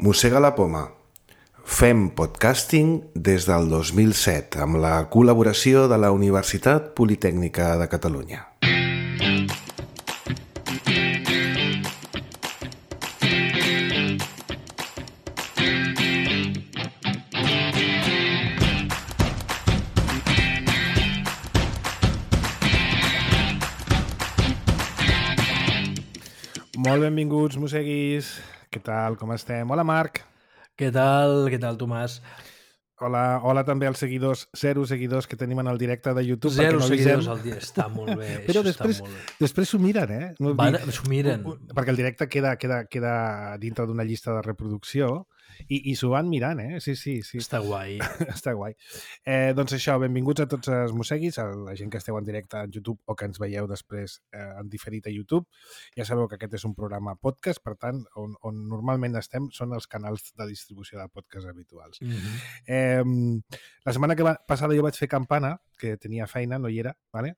Mossega la poma. Fem podcasting des del 2007 amb la col·laboració de la Universitat Politècnica de Catalunya. Molt benvinguts, mosseguis. Què tal, com estem? Hola, Marc. Què tal, Tomàs? Hola també als seguidors, 0 seguidors que tenim en el directe de YouTube. 0 seguidors al dia, està molt bé. Però després s'ho miren, eh? No, s'ho miren. Perquè el directe queda dintre d'una llista de reproducció i s'ho van mirant, eh? Sí. Està guai. Està guai. Doncs això, benvinguts a tots els mosseguis, a la gent que esteu en directe en YouTube o que ens veieu després en diferit a YouTube. Ja sabeu que aquest és un programa podcast, per tant, on normalment estem són els canals de distribució de podcast habituals. La setmana passada jo vaig fer campana, que tenia feina, no hi era, ¿vale?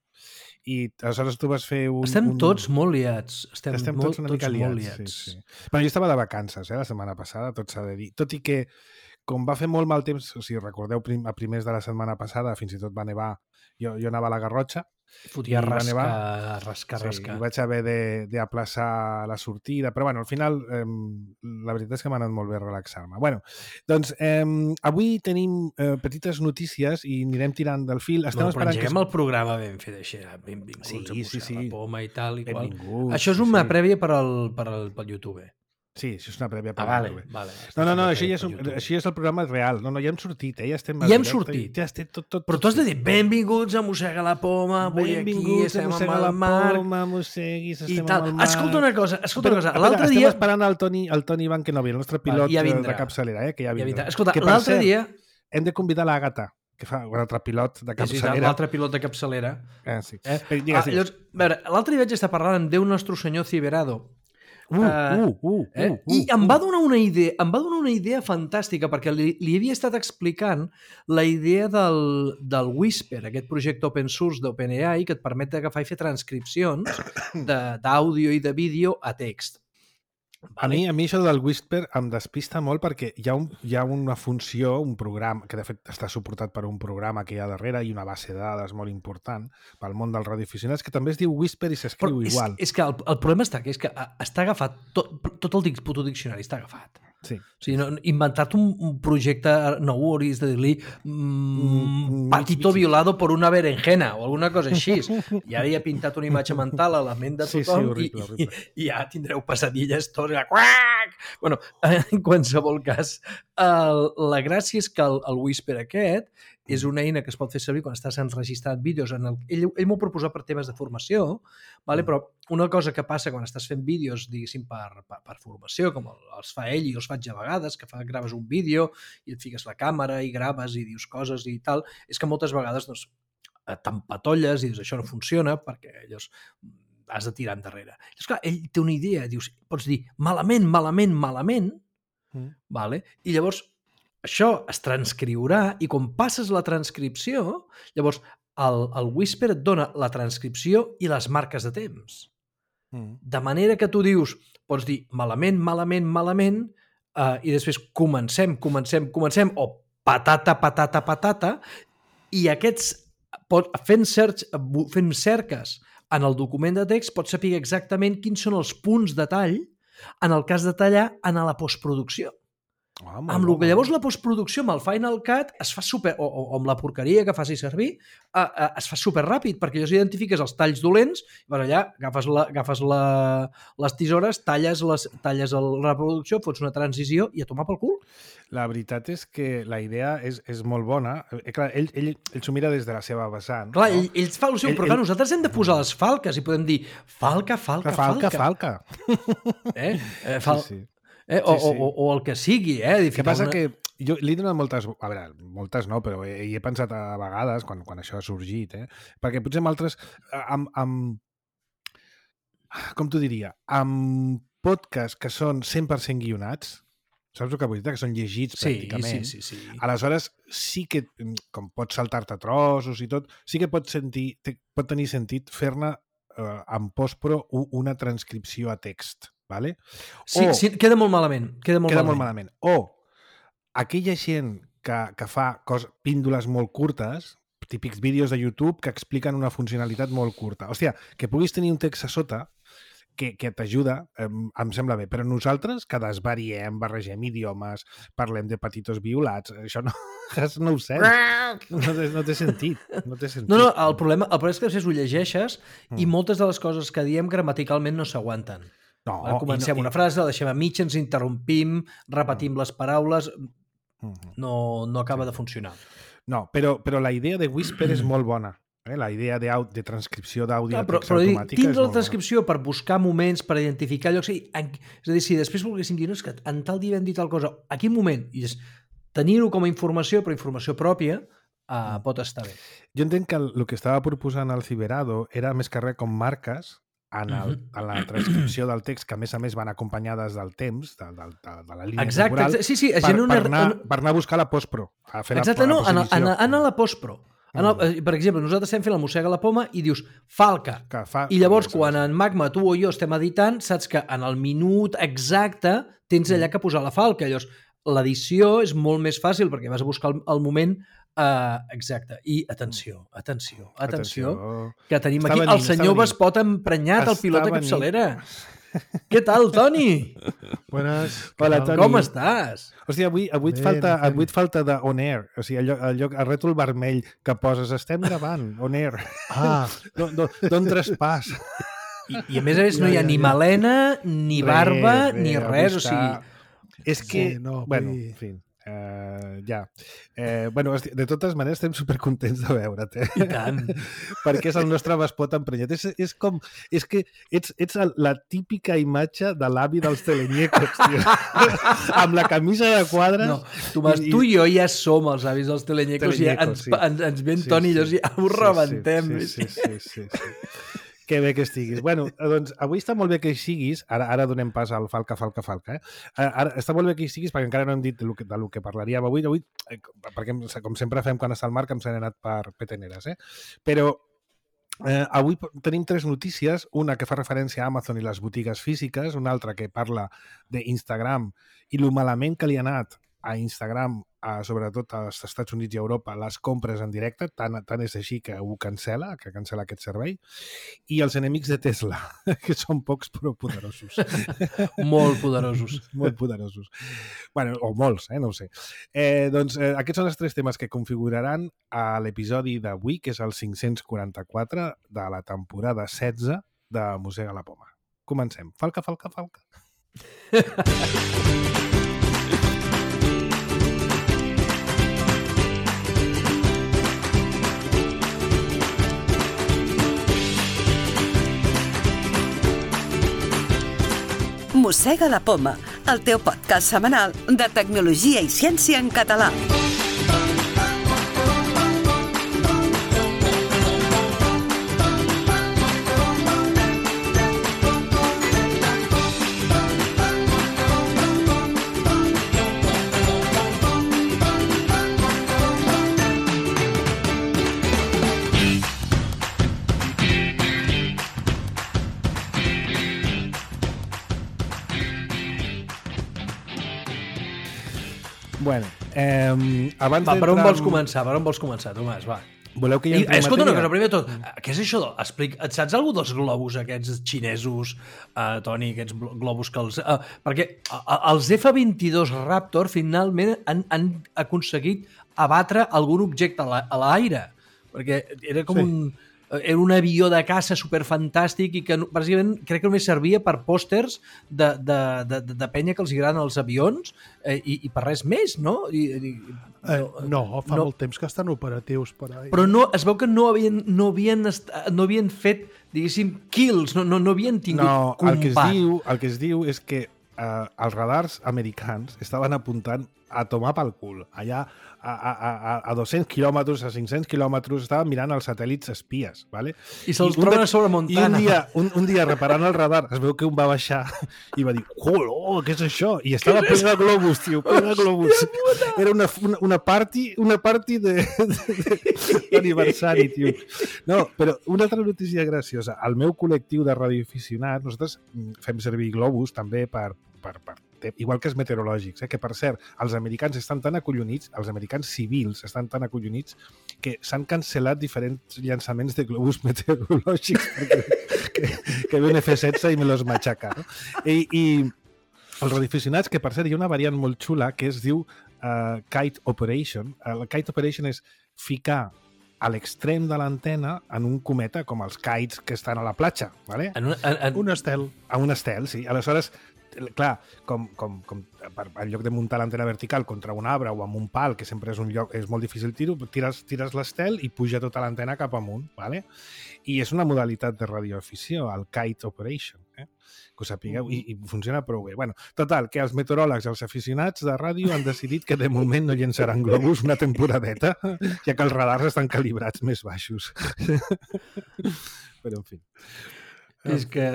I aleshores tu vas fer Estem tots molt liats. Estem tots una mica liats. Sí. Bueno, jo estava de vacances, la setmana passada, tot s'ha de dir. Tot i que, com va fer molt mal temps, o sigui, recordeu, a primers de la setmana passada, fins i tot va nevar, jo anava a la Garrotxa, fotia rascar. Sí, vaig haver d'aplaçar la sortida, però bueno, al final la veritat és que m'ha anat molt bé relaxar-me. Bueno, doncs avui tenim petites notícies i anirem tirant del fil. Però engeguem el programa ben fet així. Benvinguts a Mossega la poma i tal i qual. Això és una prèvia per al YouTube. Sí, això és una prèvia per YouTube. No, això és el programa real. No, ja hem sortit, ja estem... Ja hem sortit. Ja estem tot. Però tu has de dir, benvinguts a Mossega la poma, avui aquí estem amb el Marc... Mosseguis, estem amb el Marc... Escolta una cosa. L'altre dia... Estem esperant el Toni Bankenovi, el nostre pilot de capçalera, que ja vindrà. Escolta, l'altre dia... Hem de convidar l'Àgata, que fa l'altre pilot de capçalera. L'altre pilot de capçalera. Sí. Llavors, a veure, l'altre dia vaig estar parlant amb Déu Nostre Senyor Ciberado, i em va donar una idea fantàstica, perquè li havia estat explicant la idea del Whisper, aquest projecte open source d'OpenAI que et permet d'agafar i fer transcripcions d'àudio i de vídeo a text. A mi això del Whisper em despista molt perquè hi ha una funció, un programa, que de fet està suportat per un programa que hi ha darrere i una base de dades molt important pel món dels radioaficionats, que també es diu Whisper i s'escriu igual. És que el problema està que està agafat, tot el puto diccionari està agafat. Sí. O sigui, inventat un projecte nou, hauries de dir-li patito violado por una berenjena o alguna cosa així. I ara hi ha pintat una imatge mental a la ment de tothom horrible. I ja tindreu pesadilles tots. Bueno, en qualsevol cas, la gràcia és que el Whisper aquest és una eina que es pot fer servir quan estàs enregistrant vídeos. Ell m'ho proposa per temes de formació, però una cosa que passa quan estàs fent vídeos, diguéssim, per formació, com els fa ell i els faig a vegades, que graves un vídeo i et fiques la càmera i graves i dius coses i tal, és que moltes vegades t'empatolles i dius això no funciona perquè llavors has de tirar endarrere. Llavors, clar, ell té una idea, pots dir malament, i llavors això es transcriurà i quan passes la transcripció, llavors el Whisper et dona la transcripció i les marques de temps. De manera que tu dius, pots dir malament, i després comencem, o patata, i aquests, fent cerques en el document de text, pots saber exactament quins són els punts de tall en el cas de tallar en la postproducció. Amb el que llavors la postproducció amb el Final Cut es fa super, o amb la porqueria que faci servir, es fa super ràpid, perquè llavors identifiques els talls dolents, i vas allà, agafes les tisores, talles la reproducció, fots una transició i a tomar pel cul. La veritat és que la idea és molt bona. Clar, ell s'ho mira des de la seva vessant. Clar, ell fa el seu, però nosaltres hem de posar les falques i podem dir falca. Sí. O el que sigui, El que passa que jo li he donat moltes... A veure, moltes no, però hi he pensat a vegades, quan això ha sorgit, perquè potser amb altres... Com t'ho diria? Amb podcasts que són 100% guionats, saps el que vull dir? Que són llegits pràcticament. Sí. Aleshores, sí que, com pots saltar-te trossos i tot, sí que pot tenir sentit fer-ne en postpro una transcripció a text. ¿vale? Sí, queda molt malament. Queda molt malament. O aquella gent que fa píndoles molt curtes, típics vídeos de YouTube que expliquen una funcionalitat molt curta. Hòstia, que puguis tenir un text a sota que t'ajuda, em sembla bé, però nosaltres que desvariem, barregem idiomes, parlem de petitos violats, això no ho sents. No té sentit. No, el problema és que després ho llegeixes i moltes de les coses que diem gramaticalment no s'aguanten. Comencem una frase, la deixem a mig, ens interrompim, repetim les paraules, no acaba de funcionar. No, però la idea de Whisper és molt bona. La idea de transcripció d'àudio a text automàtica és molt bona. Tindre la transcripció per buscar moments, per identificar llocs... És a dir, si després volguéssim dir, no, és que en tal dia hem dit tal cosa, a quin moment? I tenir-ho com a informació, però informació pròpia, pot estar bé. Jo entenc que el que estava proposant el Ciberado era més que res com marques en la transcripció del text, que a més van acompanyades del temps, de la línia temporal, per anar a buscar la postpro. Exacte, no, anar a la postpro. Per exemple, nosaltres estem fent la Mossega la Poma i dius Falca. I llavors, quan en Magma, tu o jo estem editant, saps que en el minut exacte tens allà que posar la falca. Llavors, l'edició és molt més fàcil perquè vas a buscar el moment exacte. I atenció, que tenim aquí el senyor Vespot emprenyat, el pilot de capçalera. Què tal, Toni? Buenas. Hola, Toni. Com estàs? Hòstia, avui et falta de on air. O sigui, el rètol vermell que poses, estem gravant, on air. D'on traspàs. I a més no hi ha ni melena, ni barba, ni res. O sigui... És que... Bueno, en fi... de totes maneres estem supercontents de veure't, I tant. perquè és el nostre Vespot emprenyat. És que ets la típica imatge de l'avi dels teleñecos, tio. Amb la camisa de quadres. No, tu i jo ja som els avis dels teleñecos i ens ven Toni i ja ho rebentem. Sí. Que bé que estiguis. Bueno, doncs avui està molt bé que hi siguis. Ara donem pas al Falca. Ara està molt bé que hi siguis perquè encara no hem dit del que parlaríem avui, perquè com sempre fem quan està al Marc, em s'han anat per peteneres. Però avui tenim 3 notícies, una que fa referència a Amazon i les botigues físiques, una altra que parla d'Instagram i lo malament que li ha anat a Instagram, sobretot als Estats Units i Europa, les compres en directe, tant és així que ho cancela aquest servei, i els enemics de Tesla, que són pocs però poderosos. Molt poderosos. Molt poderosos. Bueno, o molts, no ho sé. Doncs aquests són els 3 temes que configuraran a l'episodi d'avui, que és el 544 de la temporada 16 de Mossega la Poma. Comencem. Falca. Mossega la Poma, el teu podcast setmanal de tecnologia i ciència en català. Bueno, abans per on vols començar, Tomàs? Va. Voleu que hi entri escolta una cosa, primer de tot, què és això? Saps alguna dels globus aquests xinesos, Toni, aquests globus que els... perquè els F-22 Raptor finalment han aconseguit abatre algun objecte a l'aire, perquè era com era un avió de caça superfantàstic i que bàsicament crec que només servia per pòsters de penya que els agraden els avions i per res més, no? No, fa molt temps que estan operatius per ahí. Però es veu que no havien fet, diguéssim, kills, no havien tingut combat. El que es diu és que els radars americans estaven apuntant a tomar pel cul. Allà a 200 quilòmetres, a 500 quilòmetres, estaven mirant els satèl·lits espies, ¿vale? I se'ls troben a sobre Montana. I un dia reparant el radar, es veu que un va baixar i va dir, què és això? I estava ple de globus, tio, ple de globus. Era una party d'aniversari, tio. No, però una altra notícia graciosa. El meu col·lectiu de radioaficionats, nosaltres fem servir globus també per igual que els meteorològics, que per cert, els americans estan tan acollonits, els americans civils estan tan acollonits que s'han cancel·lat diferents llançaments de globus meteorològics que ve un F-16 i me los machaca. No? I els radioaficionats, que per cert hi ha una variant molt xula que es diu Kite Operation. El Kite Operation és ficar a l'extrem de l'antena en un cometa, com els kites que estan a la platja, ¿vale? Un estel. A un estel, sí. Aleshores, clar, com en lloc de muntar l'antena vertical contra un arbre o amb un pal, que sempre és un lloc, és molt difícil tires l'estel i puja tota l'antena cap amunt, ¿vale? I és una modalitat de radioafició, el Kite Operation, que ho sapigueu, i funciona prou bé. Bueno, total, que els meteoròlegs i els aficionats de ràdio han decidit que de moment no llençaran globus una temporadeta, ja que els radars estan calibrats més baixos. Però, en fi. És que...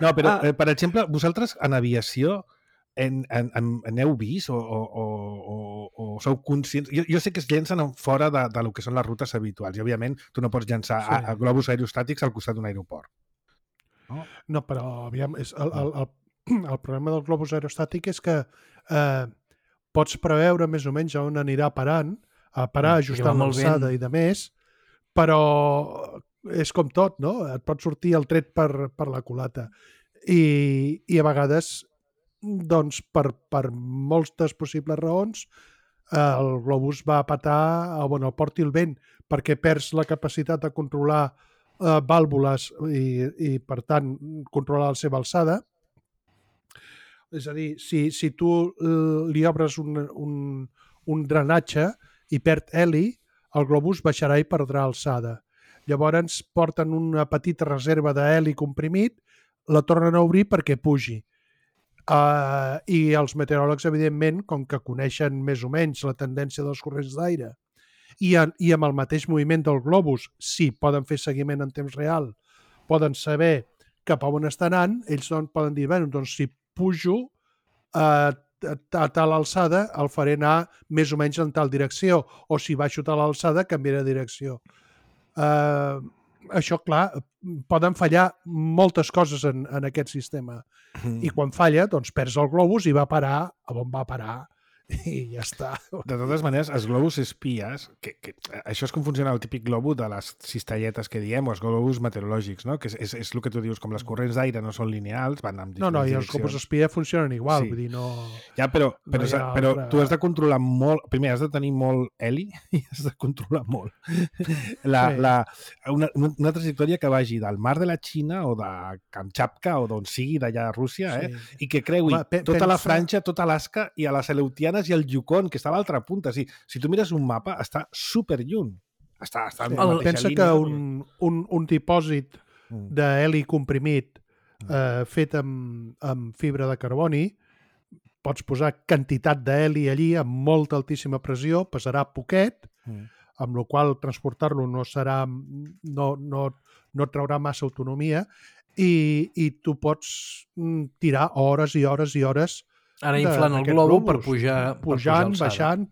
No, però, per exemple, vosaltres en aviació n'heu vist o sou conscients? Jo sé que es llencen fora de lo que són les rutes habituals i, òbviament, tu no pots llançar a globus aerostàtics al costat d'un aeroport. No, però aviam, el problema del globus aerostàtic és que pots preveure més o menys on anirà parant, a parar, ajustar l'alçada i de més, però és com tot, no? Et pot sortir el tret per la culata. I a vegades, doncs, per moltes possibles raons, el globus va a patar on el porti el vent, perquè perds la capacitat de controlar vàlvules i, per tant, controlar la seva alçada. És a dir, si tu li obres un drenatge i perd heli, el globus baixarà i perdrà alçada. Llavors porten una petita reserva d'heli comprimit, la tornen a obrir perquè pugi. I els meteoròlegs, evidentment, com que coneixen més o menys la tendència dels corrents d'aire i amb el mateix moviment del globus, sí, poden fer seguiment en temps real, poden saber cap a on està anant, ells poden dir, bé, doncs si pujo a tal alçada, el faré anar més o menys en tal direcció, o si baixo tal alçada, canviaré de direcció. Això, clar, poden fallar moltes coses en aquest sistema. I quan falla, doncs perds el globus i va parar on va parar. I ja està. De totes maneres, els globus espies, que això és com funciona el típic globus de les cistelletes que diem, o els globus meteorològics, no? Que és el que tu dius, com les corrents d'aire no són lineals, van amb diferents direccions. I els globus espia funcionen igual, vull dir, no... Ja, però tu has de controlar molt... Primer, has de tenir molt heli i has de controlar molt. Una trajectòria que vagi del mar de la Xina o de Kamchatka o d'on sigui, d'allà a Rússia, i que creui tota la Franja, tota Alaska i a les Aleutianes i el Yukon, que està a l'altra punta. Si tu mires un mapa, està super lluny. Pensa que un dipòsit d'heli comprimit fet amb fibra de carboni, pots posar quantitat d'heli allí amb molta altíssima pressió, pesarà poquet, amb la qual transportar-lo no traurà massa autonomia i tu pots tirar hores i hores i hores ara inflant el globo per pujar pujant, baixant.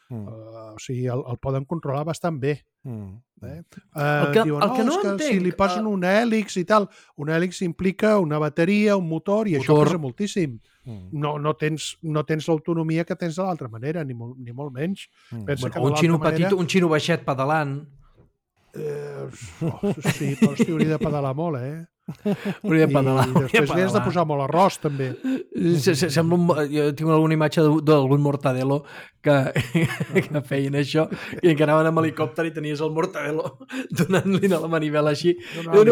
O sigui, el poden controlar bastant bé. El que no entenc... Si li posen un hèlix i tal, un hèlix implica una bateria, un motor, i això pesa moltíssim. No tens l'autonomia que tens de l'altra manera, ni molt menys. Un xino petit, un xino baixet pedalant... Sí, però s'hi hauria de pedalar molt, Hauria de pedalar. I després li has de posar molt arròs, també. Jo tinc alguna imatge d'algun mortadelo que feien això i que anaven amb helicòpter i tenies el mortadelo donant-li a la manivela així. No,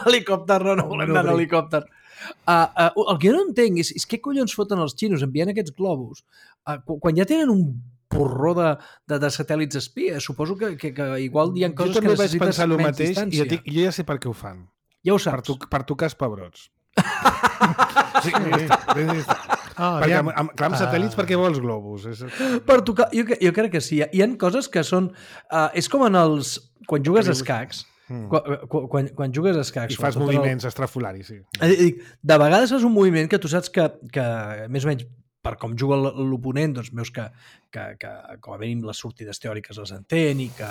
helicòpter, no volem anar a helicòpter. El que jo no entenc és què collons foten els xinos enviant aquests globus quan ja tenen un porró de satèl·lits espies. Suposo que igual hi ha coses que necessites menys distància. Jo ja sé per què ho fan. Ja ho saps. Per tocar els pebrots. Sí. Perquè amb satèl·lits, per què vols globus? Per tocar, jo crec que sí. Hi ha coses que són... és com en els... Quan jugues a escacs, quan jugues a escacs... I fas moviments estrafolaris, sí. De vegades fas un moviment que tu saps que més o menys, per com juga l'oponent, doncs veus que com a mínim les sortides teòriques les entén i que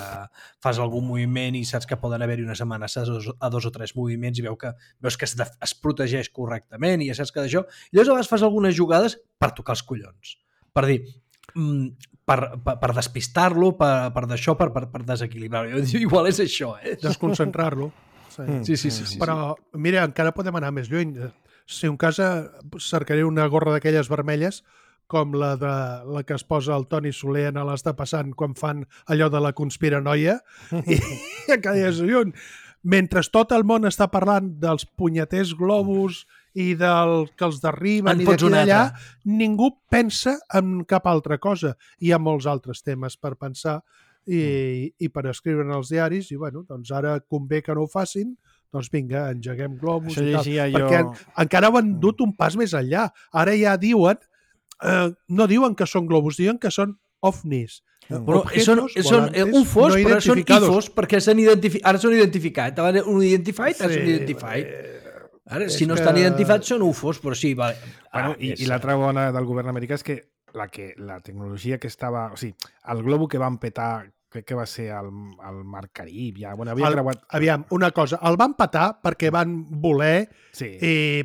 fas algun moviment i saps que poden haver-hi unes amenaces a 2 o 3 moviments i veus que es protegeix correctament i ja saps que d'això... I llavors a vegades fas algunes jugades per tocar els collons. Per dir, per despistar-lo, per d'això, per desequilibrar-lo. Igual és això, Desconcentrar-lo. Sí. Però, mira, encara podem anar més lluny. Si un cas cercaré una gorra d'aquelles vermelles com la que es posa el Toni Soler a les de passant quan fan allò de la conspiranoia i cada lluny. Mentre tot el món està parlant dels punyeters globus i del que els derriben i d'aquí d'allà, ningú pensa en cap altra cosa. Hi ha molts altres temes per pensar i per escriure en els diaris i bueno, doncs ara convé que no ho facin, doncs vinga, engeguem globus i tal. Perquè encara ho han dut un pas més enllà. Ara ja diuen, no diuen que són globus, diuen que són ovnis. Però són UFOs, però són IFOs perquè ara són identificats. Un identified, ara són identified. Ara, si no estan identificats són UFOs, però sí. Vale. I l'altra bona del govern americà és que la tecnologia que estava... O sigui, el globo que van petar, crec que va ser el Mar Carib. Ja, bueno, havia creuat... Aviam, una cosa, el van petar perquè van voler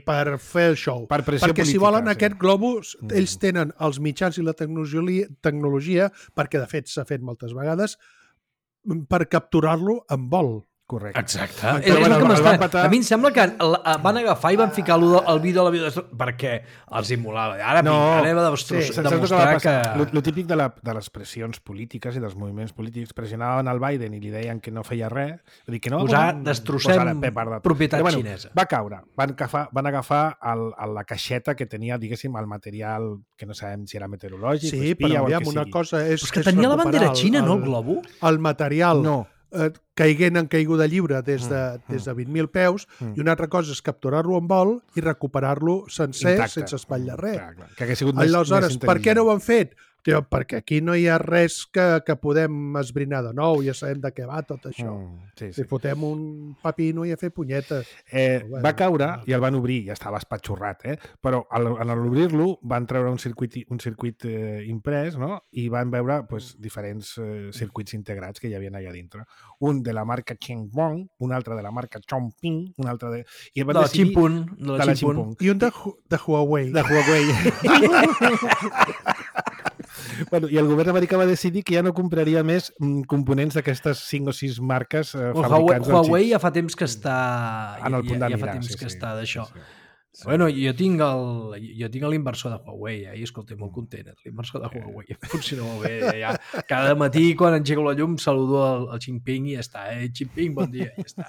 per fer el show. Per pressió perquè política, si volen aquest globus, ells tenen els mitjans i la tecnologia, perquè de fet s'ha fet moltes vegades, per capturar-lo en vol. Correcte. Exacte. A mi em sembla que van agafar i van ficar el vídeo a la vida perquè els immolava. Ara anem a demostrar que... El típic de les pressions polítiques i dels moviments polítics pressionaven el Biden i li deien que no feia res. Destrossem propietat xinesa. Va caure. Van agafar la caixeta que tenia, diguéssim, el material que no sabem si era meteorològic o espia o el que sigui. Cosa és que tenia la bandera xina, no, el globo? El material... No. Caiguent en caiguda lliure des de 20.000 peus i una altra cosa és capturar-lo en vol i recuperar-lo sencer sense espatllar res. Aleshores, per què no ho han fet? Perquè aquí no hi ha res que podem esbrinar de nou, ja sabem de què va tot això. Si fotem un pepino i a fer punyetes. Va caure i el van obrir, ja estava espatxorrat, però en l'obrir-lo van treure un circuit imprès, no? I van veure diferents circuits integrats que hi havia allà dintre. Un de la marca Chengwon, un altre de la marca Chongping, un altre de... De la Chimpun. I un de Huawei. De Huawei. Bueno, i el govern americà va decidir que ja no compraria més components d'aquestes 5 o 6 marques fabricants dels Huawei ja fa temps que està... En el punt de mirar, ja fa temps que està d'això. Bueno, jo tinc l'inversor de Huawei, i escolta, molt content, l'inversor de Huawei. Funciona molt bé. Ja. Cada matí, quan engego la llum, saludo al Jinping i ja està. Jinping, bon dia, i ja està.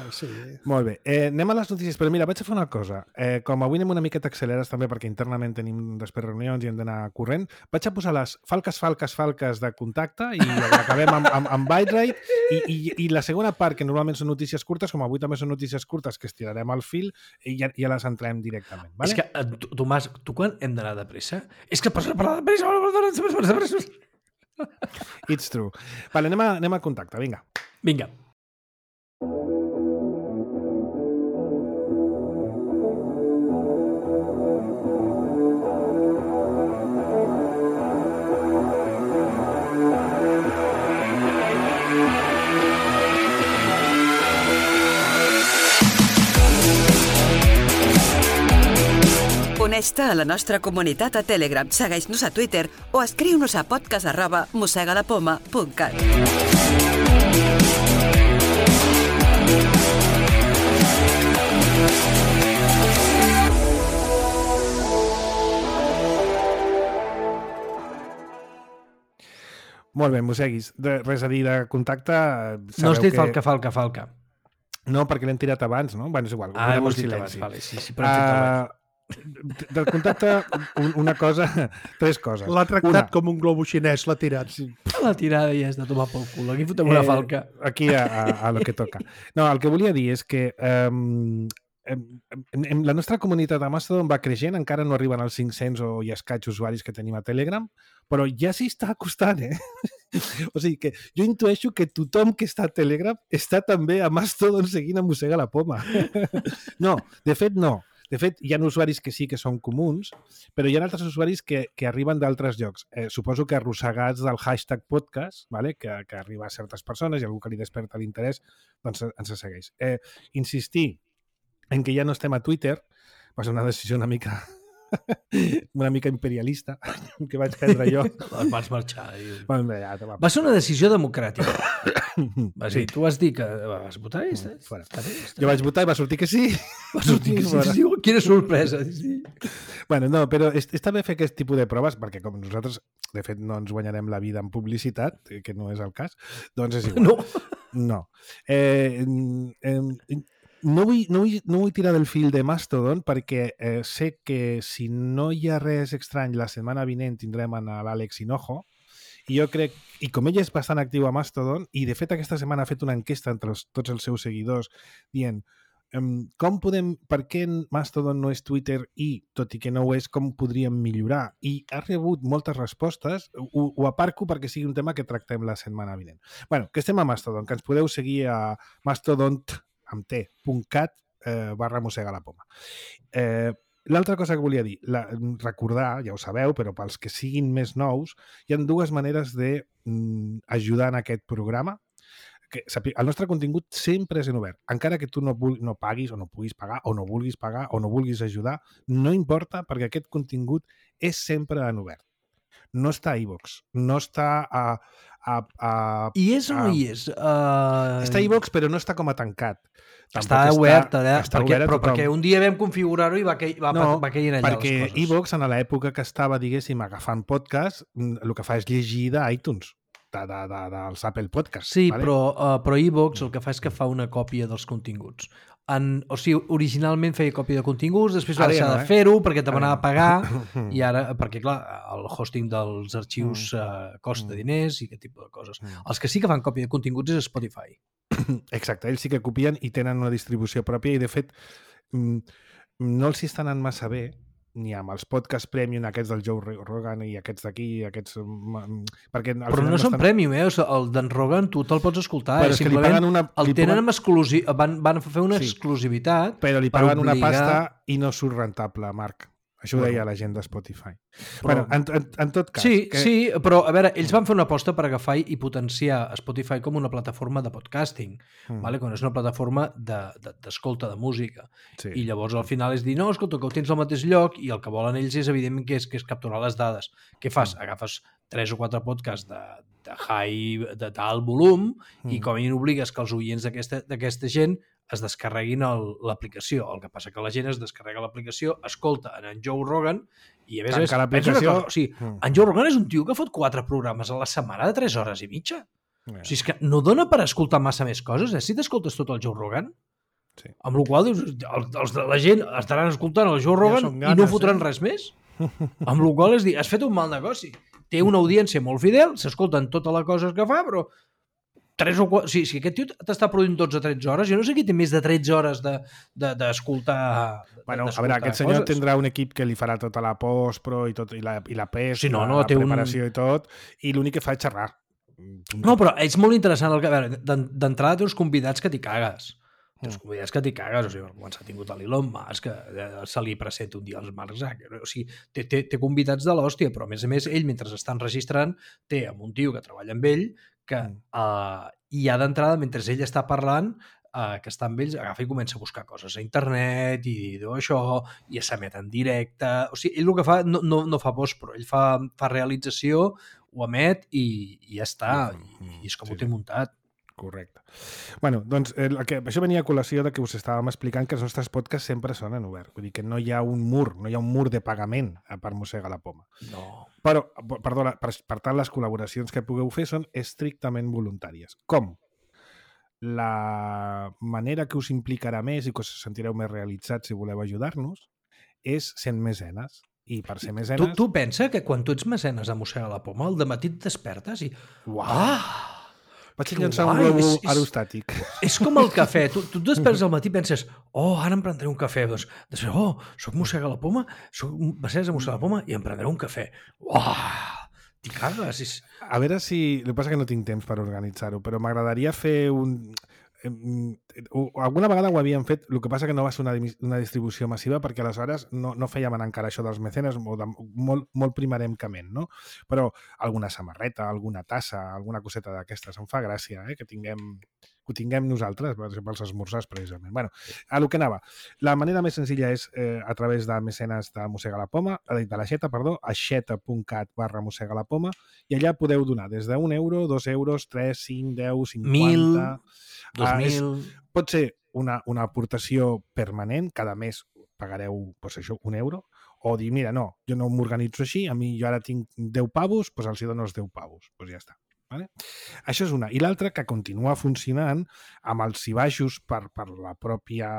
Sí. Molt bé. Anem a les notícies, però mira, vaig a fer una cosa. Com avui anem una miqueta acceleres també perquè internament tenim després reunions i hem d'anar corrent, vaig a posar les falques de contacte i acabem amb ByteRate i la segona part, que normalment són notícies curtes, com avui també són notícies curtes que estirarem al fil i ja les entrem directament. Vale? És que, Tomàs, tu quan hem d'anar de pressa? És que pots parlar de pressa. It's true. Vale, anem a contacte, vinga. Vinga. Uneix-te a la nostra comunitat a Telegram, segueix-nos a Twitter o escriu-nos a podcast@mossegalapoma.cat. Molt bé, mosseguis. Res a dir de contacte. No has dit falca. No, perquè l'hem tirat abans, no? Bueno, és igual. Ho has dit abans, vale. Sí, però hem dit abans. Del contacte, una cosa, 3 coses. L'ha tractat com un globo xinès, l'ha tirat. Sí. La tirada ja és de tomar pel cul. Aquí fotem una falca. Aquí a lo que toca. No, el que volia dir és que la nostra comunitat a Mastodon va creixent, encara no arriben als 500 o i escaig usuaris que tenim a Telegram, però ja s'hi està acostant, O sigui que jo intueixo que tothom que està a Telegram està també a Mastodon seguint a Mossega la Poma. No, de fet no. De fet, hi ha usuaris que sí que són comuns, però hi ha altres usuaris que arriben d'altres llocs. Suposo que arrossegats del hashtag podcast, vale? que arriba a certes persones i algú que li desperta l'interès, doncs ens segueix. Insistir en que ja no estem a Twitter va ser una decisió una mica imperialista que vaig prendre jo. Vas marxar. Ja, va ser una decisió democràtica. Sí. Tu vas dir que vas votar i jo vaig votar i va sortir que sí. Va sortir que sí. Quina sorpresa. Sí. Bueno, no, però està bé fer aquest tipus de proves perquè com nosaltres, de fet, no ens guanyarem la vida en publicitat, que no és el cas, doncs és igual. No. No vull tirar del fil de Mastodon perquè sé que si no hi ha res estrany la setmana vinent tindrem l'Àlex Hinojo i jo crec, i com ell és bastant actiu a Mastodon i de fet aquesta setmana ha fet una enquesta entre tots els seus seguidors dient per què Mastodon no és Twitter i, tot i que no ho és, com podríem millorar? I ha rebut moltes respostes, ho aparco perquè sigui un tema que tractem la setmana vinent. Bueno, que estem a Mastodon, que ens podeu seguir a mastodon.cat /Mossega la Poma. L'altra cosa que volia dir, recordar, ja ho sabeu, però pels que siguin més nous, hi ha dues maneres d'ajudar en aquest programa. El nostre contingut sempre és en obert. Encara que tu no paguis o no puguis pagar o no vulguis pagar o no vulguis ajudar, no importa perquè aquest contingut és sempre en obert. No està a iVoox, no està I és o no hi és? Està a iVoox, però no està com a tancat. Està obert, però perquè un dia vam configurar-ho i va caient allà les coses. Perquè iVoox, en l'època que estava, diguéssim, agafant podcast, el que fa és llegir d'iTunes, dels Apple Podcasts. Sí, vale? Però iVoox el que fa és que fa una còpia dels continguts. O sigui, originalment feia còpia de continguts, després va deixar de fer-ho perquè te m'anava a pagar i ara, perquè clar, el hosting dels arxius costa diners i aquest tipus de coses. Els que sí que fan còpia de continguts és Spotify. Exacte, ells sí que copien i tenen una distribució pròpia i de fet no els hi estan anant massa bé ni amb els podcasts premium, aquests del Joe Rogan i aquests d'aquí, Però no són premium, el d'en Rogan tu te'l pots escoltar, simplement el tenen amb van fer una exclusivitat. Però li paguen una pasta i no surt rentable, Marc. Això ho deia la gent de Spotify. Bueno, en tot cas... Sí, però a veure, ells van fer una aposta per agafar i potenciar Spotify com una plataforma de podcasting, quan és una plataforma d'escolta de música. I llavors al final és dir, no, escolta, que ho tens al mateix lloc i el que volen ells és, evidentment, que és capturar les dades. Què fas? Agafes 3 o 4 podcasts d'alt volum i com a mínim obligues que els oients d'aquesta gent es descarreguin l'aplicació. El que passa que la gent es descarrega l'aplicació, escolta en Joe Rogan i a més pensa una cosa. O sigui, en Joe Rogan és un tio que fot 4 programes a la setmana de 3 hores i mitja. O sigui, és que no dona per escoltar massa més coses. Si t'escoltes tot el Joe Rogan, amb la qual cosa la gent estaran escoltant el Joe Rogan i no fotran res més. Amb la qual cosa és dir, has fet un mal negoci. Té una audiència molt fidel, s'escolten tota la cosa que fa, però 3 o 4... Si aquest tio t'està produint 12 o 13 hores, jo no sé qui té més de 13 hores d'escoltar... Bueno, a veure, aquest senyor tindrà un equip que li farà tota la post-pro i la pes, la preparació i tot, i l'únic que fa és xerrar. No, però és molt interessant. D'entrada té uns convidats que t'hi cagues. Té uns convidats que t'hi cagues. O sigui, quan s'ha tingut l'Elon Musk, se li presenta un dia als Mark Zuckerberg. O sigui, té convidats de l'hòstia, però a més, ell, mentre està enregistrant, té amb un tio que treballa amb ell que ja d'entrada, mentre ell està parlant, que està amb ells, agafa i comença a buscar coses a internet i diu això, i s'emet en directe. O sigui, ell el que fa no fa post-pro, ell fa realització, ho emet i ja està, i és com ho té muntat. Correcte. Bueno, doncs això venia a col·lació de que us estàvem explicant que els nostres podcasts sempre són en obert. Vull dir que no hi ha un mur de pagament per Mossega la Poma. No. Però, perdona, per tant, les col·laboracions que pugueu fer són estrictament voluntàries. Com? La manera que us implicarà més i que us sentireu més realitzats si voleu ajudar-nos és sent mecenes. I per ser mecenes... Tu pensa que quan tu ets mecenes a Mossega la Poma, al dematí et despertes i... Uau! Vaig llançar un globo aerostàtic. És com el cafè. Tu et despertes al matí i penses ara em prendré un cafè. Després, soc mossega la poma, soc Bassés de mossega la poma i em prendré un cafè. T'hi cagues. A veure si... El que passa que no tinc temps per organitzar-ho, però m'agradaria fer un... Alguna vegada ho havíem fet, el que passa que no va ser una distribució massiva perquè aleshores no fèiem anar encara això dels mecenes molt primeremcament, no? Però alguna samarreta, alguna tassa, alguna coseta d'aquestes, em fa gràcia que ho tinguem nosaltres pels esmorzars precisament. Bueno, a lo que anava. La manera més senzilla és a través de mecenes de Mossega la Poma, de l'Aixeta, aixeta.cat/Mossega la Poma, i allà podeu donar des d'1 euro, 2 euros, 3, 5, 10, 50... 2.000... Pot ser una aportació permanent, cada mes pagareu això, 1 euro, o dir, mira, no, jo no m'organitzo així, a mi jo ara tinc 10 pavos, doncs els dono els 10 pavos, doncs ja està. Vale? Això és una. I l'altra, que continua funcionant amb els i baixos per la pròpia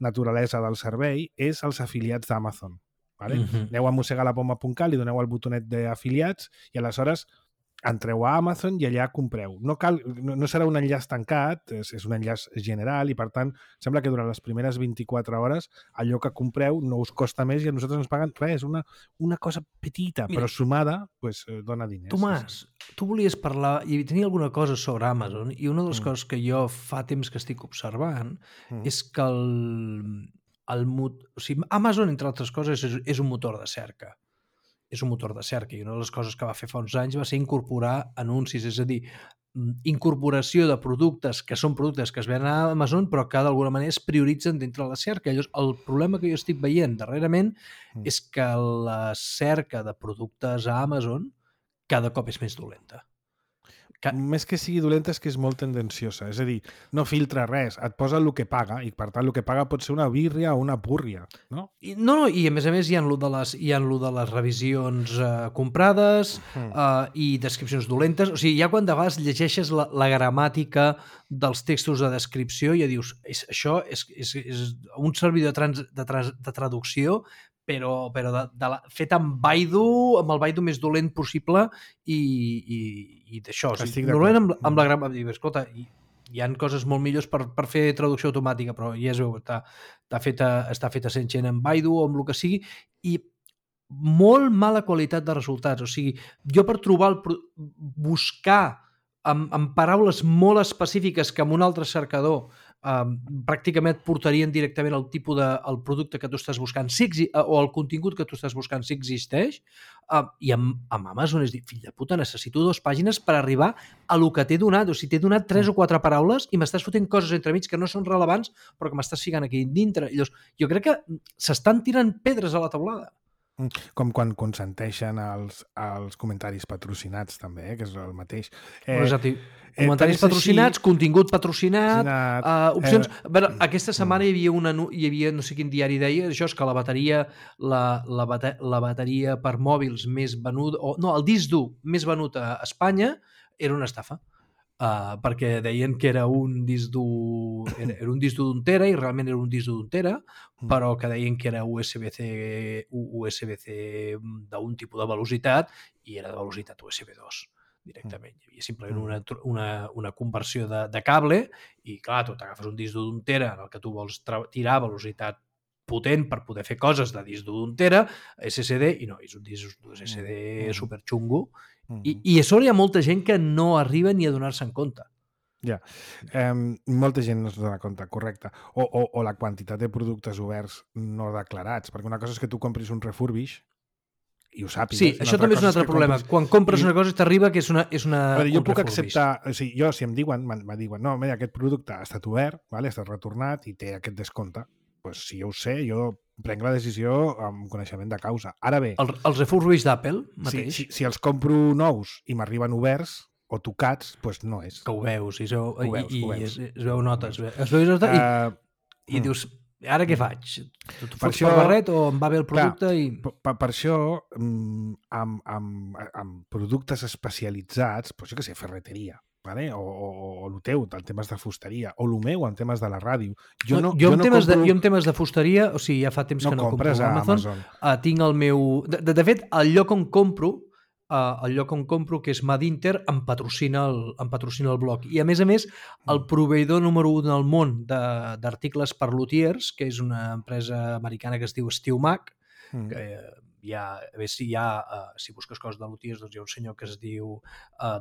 naturalesa del servei, és els afiliats d'Amazon. Vale? Aneu a mossegalapoma.cat, li doneu el botonet d'afiliats i aleshores entreu a Amazon i allà compreu. No serà un enllaç tancat, és un enllaç general i, per tant, sembla que durant les primeres 24 hores allò que compreu no us costa més i a nosaltres ens paguen res, una cosa petita, però sumada dona diners. Tomàs, tu volies parlar i tenia alguna cosa sobre Amazon i una de les coses que jo fa temps que estic observant és que Amazon, entre altres coses, és un motor de cerca. És un motor de cerca i una de les coses que va fer fa uns anys va ser incorporar anuncis, és a dir, incorporació de productes que són productes que es venen a Amazon però que d'alguna manera es prioritzen dintre de la cerca. Llavors, el problema que jo estic veient darrerament és que la cerca de productes a Amazon cada cop és més dolenta. Més que sigui dolenta és que és molt tendenciosa, és a dir, no filtra res, et posa el que paga i per tant el que paga pot ser una birria o una púrria, no? No, i a més hi ha lo de les revisions comprades i descripcions dolentes, o sigui, ja quan de vegades llegeixes la gramàtica dels textos de descripció ja dius, això és un servidor de traducció però fet amb Baidu, amb el Baidu més dolent possible i d'això. Normalment amb la gramàtica, escolta, hi ha coses molt millors per fer traducció automàtica, però ja es veu, està feta sent gent en Baidu o amb el que sigui, i molt mala qualitat de resultats. O sigui, jo per buscar amb paraules molt específiques que amb un altre cercador pràcticament et portarien directament al tipus del producte que tu estàs buscant o el contingut que tu estàs buscant si existeix, i amb Amazon és dir, fill de puta, necessito 2 pàgines per arribar a lo que t'he donat, o sigui, t'he donat 3 o 4 paraules i m'estàs fotent coses entremig que no són rellevants però que m'estàs ficant aquí dintre. Llavors, jo crec que s'estan tirant pedres a la teulada. Com quan consenteixen els comentaris patrocinats també, que és el mateix. Comentaris patrocinats, contingut patrocinat, opcions... Aquesta setmana hi havia, no sé quin diari deia, això és que la bateria per mòbils més venuda, el disc dur més venut a Espanya era una estafa. Perquè deien que era un disc dur d'un tera i realment era un disc dur d'un tera, però que deien que era USB-C d'un tipus de velocitat i era de velocitat USB 2 directament. Hi havia simplement una conversió de cable i clar, tu t'agafes un disc dur d'un tera en el que tu vols tirar velocitat potent per poder fer coses de disc dur d'un tera, SSD, i no, és un disc dur SSD superxungo. I a sobre hi ha molta gent que no arriba ni a donar-se en compte. Ja, molta gent no es dona compte, correcte. O la quantitat de productes oberts no declarats, perquè una cosa és que tu compris un refurbish i ho sàpigues. Sí, això també és un altre problema. Quan compres una cosa t'arriba que és una jo puc acceptar, o sigui, jo si em diuen, no, mira, aquest producte ha estat obert, ha estat retornat i té aquest descompte, doncs si jo ho sé, jo prenc la decisió amb coneixement de causa. Ara bé... Els refurbished d'Apple mateix? Si els compro nous i m'arriben oberts o tocats, doncs no és. Que ho veus, i es veu nota, i dius, ara què faig? Tu fots per barret o em va bé el producte? Per això, amb productes especialitzats, jo què sé, ferreteria, o el teu, en temes de fusteria, o el meu, en temes de la ràdio. Jo en temes de fusteria, o sigui, ja fa temps que no compro a Amazon. Tinc el meu... De fet, el lloc on compro el lloc on compro, que és Madinter, em patrocina el blog. I, a més, el proveïdor número 1 del món d'articles per luthiers, que és una empresa americana que es diu SteelMac, que si busques coses de luthiers, doncs hi ha un senyor que es diu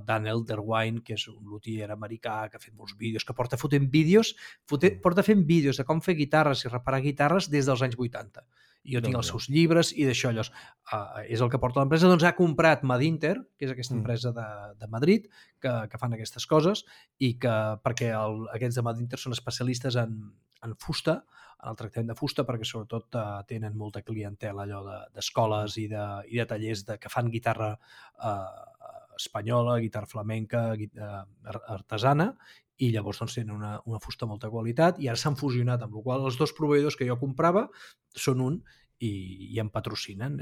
Dan Elderwine, que és un luthier americà que ha fet molts vídeos, que porta fent vídeos de com fer guitarres i reparar guitarres des dels anys 80. I jo tinc els seus llibres i d'això, és el que porta l'empresa. Doncs ha comprat Madinter, que és aquesta empresa de Madrid, que fan aquestes coses, i perquè aquests de Madinter són especialistes en fusta, en el tractament de fusta, perquè sobretot tenen molta clientela allò d'escoles i de tallers que fan guitarra espanyola, guitarra flamenca, artesana, i llavors doncs, tenen una fusta de molta qualitat, i ara s'han fusionat, amb la qual cosa els dos proveïdors que jo comprava són un i em patrocinen.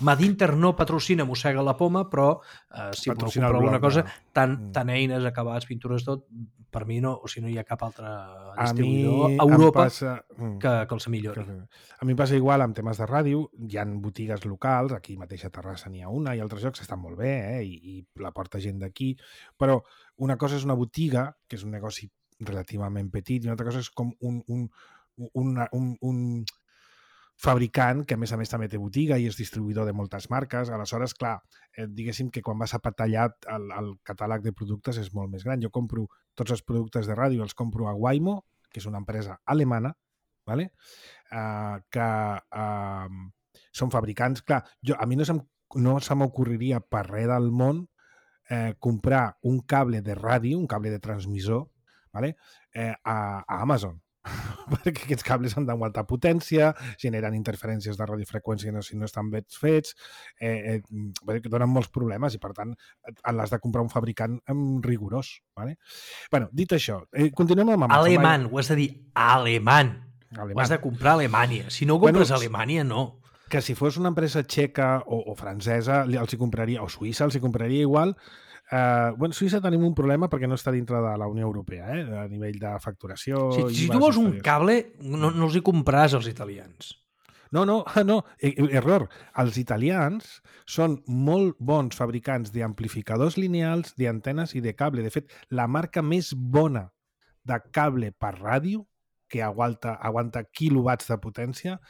Madinter no patrocina Mossega la Poma, però si voleu comprar alguna cosa, tant eines, acabats, pintures, tot, per mi no, o si no hi ha cap altre distribuïdor a Europa que els millori. A mi em passa igual amb temes de ràdio, hi ha botigues locals, aquí mateix a Terrassa n'hi ha una, i altres llocs estan molt bé, i la porta gent d'aquí, però una cosa és una botiga, que és un negoci relativament petit, i una altra cosa és com un fabricant que a més també té botiga i és distribuïdor de moltes marques. Aleshores, clar, diguéssim que quan vas a patallar el catàleg de productes és molt més gran. Jo compro tots els productes de ràdio, els compro a Waymo, que és una empresa alemana, ¿vale? Que són fabricants. Clar, a mi no se m'ocorreria per res del món comprar un cable de ràdio, un cable de transmissor, ¿vale? A Amazon. Perquè aquests cables han d'aguantar potència, generen interferències de radiofreqüència si no estan ben fets, que donen molts problemes i, per tant, l'has de comprar un fabricant rigorós. ¿Vale? Bueno, dit això, continuem amb Amazon. Alemany, ho has de dir alemany. Ho has de comprar a Alemanya. Si no ho compres a Alemanya, no. Que si fos una empresa txeca o francesa, els hi compraria, o suïssa, els hi compraria igual. Suïssa tenim un problema perquè no està dintre de la Unió Europea, a nivell de facturació. Si tu vols un cable, no els hi compraràs als italians. No, error. Els italians són molt bons fabricants d'amplificadors lineals, d'antenes i de cable. De fet, la marca més bona de cable per ràdio, que aguanta quilowatts de potència,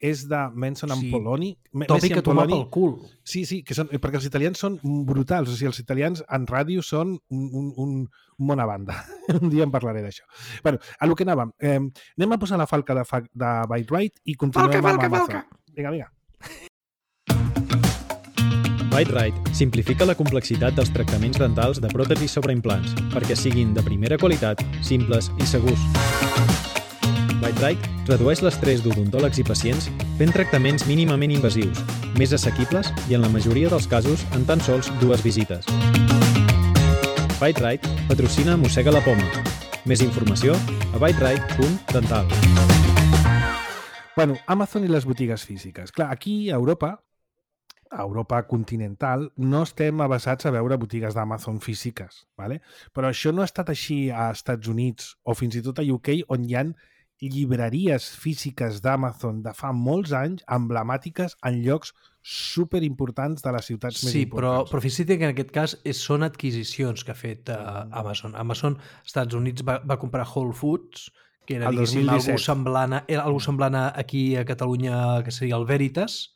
és de Manson & Poloni. Tòpic a tomar pel cul. Sí, perquè els italians són brutals. O sigui, els italians en ràdio són un bona banda. Un dia en parlaré d'això. Bueno, a lo que anàvem. Anem a posar la falca de Byte-Rite i continuem amb Amazon. Vinga. Byte-Rite simplifica la complexitat dels tractaments dentals de pròtesis sobre implants perquè siguin de primera qualitat, simples i segurs. Byte-Rite redueix l'estrès d'odontòlegs i pacients fent tractaments mínimament invasius, més assequibles i, en la majoria dels casos, en tan sols 2 visites. Byte-Rite patrocina Mossega la Poma. Més informació a byterite.dental. Bueno, Amazon i les botigues físiques. Clar, aquí a Europa continental, no estem avesats a veure botigues d'Amazon físiques, ¿vale? Però això no ha estat així a Estats Units o fins i tot a UK, on hi ha llibreries físiques d'Amazon de fa molts anys, emblemàtiques en llocs superimportants de les ciutats més importants. Sí, però fixa't que en aquest cas són adquisicions que ha fet Amazon. Amazon, als Estats Units, va comprar Whole Foods, que era, diguéssim, algú semblant aquí a Catalunya, que seria el Veritas.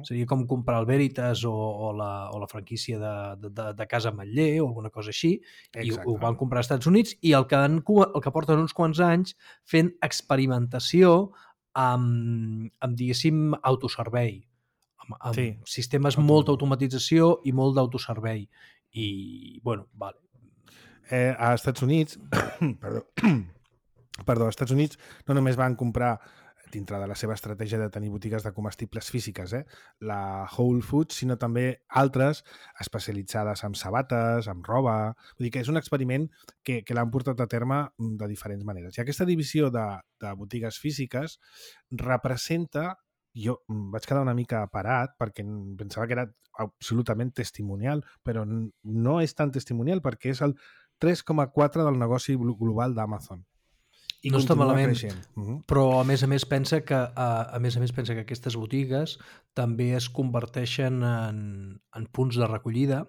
Seria com comprar el Veritas o la franquícia de Casa Ametller o alguna cosa així. I ho van comprar als Estats Units i el que porten uns quants anys fent experimentació amb diguéssim, autoservei. Amb sistemes molta automatització i molt d'autoservei. I, bueno, vale. A Estats Units, als Estats Units no només van comprar dintre de la seva estratègia de tenir botigues de comestibles físiques, la Whole Foods, sinó també altres especialitzades en sabates, en roba. Vull dir que és un experiment que l'han portat a terme de diferents maneres. I aquesta divisió de botigues físiques representa... Jo vaig quedar una mica parat perquè pensava que era absolutament testimonial, però no és tan testimonial perquè és el 3,4 del negoci global d'Amazon. I no està malament, creixent. Però a més pensa que aquestes botigues també es converteixen en punts de recollida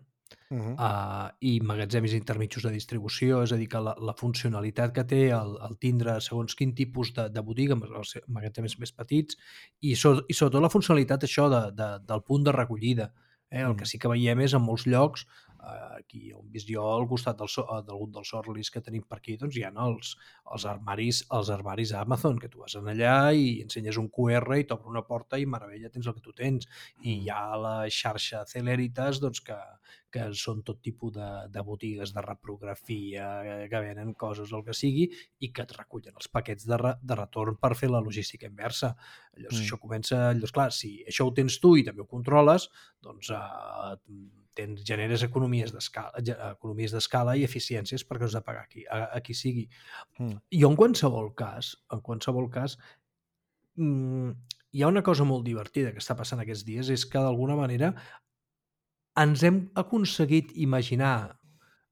i magatzems intermitjos de distribució, és a dir, que la funcionalitat que té el tindre segons quin tipus de botiga, els magatzems més petits, i sobretot la funcionalitat això del punt de recollida. El que sí que veiem és en molts llocs, aquí on vist jo al costat d'algun dels Orlis que tenim per aquí, doncs hi ha els armaris Amazon, que tu vas allà i ensenyes un QR i t'obre una porta i meravella, tens el que tu tens. I hi ha la xarxa Celeritas, doncs, que són tot tipus de botigues de reprografia, que venen coses, el que sigui, i que et recullen els paquets de retorn per fer la logística inversa. Llavors, això comença... Llavors, clar, si això ho tens tu i també ho controles, doncs generes economies d'escala i eficiències perquè has de pagar a qui sigui. Jo, en qualsevol cas, hi ha una cosa molt divertida que està passant aquests dies, és que d'alguna manera ens hem aconseguit imaginar,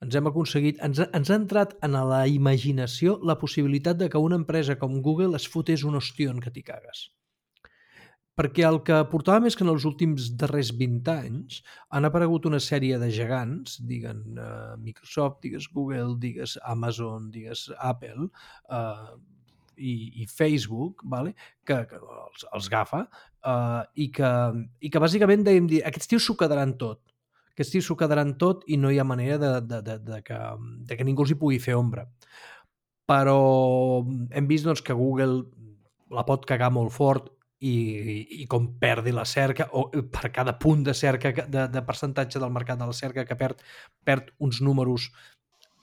ens ha entrat en la imaginació la possibilitat de que una empresa com Google es fotés un ostion que t'hi cagues. Perquè el que portava més que en els últims darrers 20 anys han aparegut una sèrie de gegants, digues Microsoft, digues Google, digues Amazon, digues Apple i Facebook, vale? que els GAFA, i que bàsicament dèiem dir, aquests tios s'ho quedaran tot. Aquests tios s'ho quedaran tot i no hi ha manera de que ningú els hi pugui fer ombra. Però hem vist doncs, que Google la pot cagar molt fort i com perdi la cerca, o per cada punt de cerca, de percentatge del mercat de la cerca que perd uns números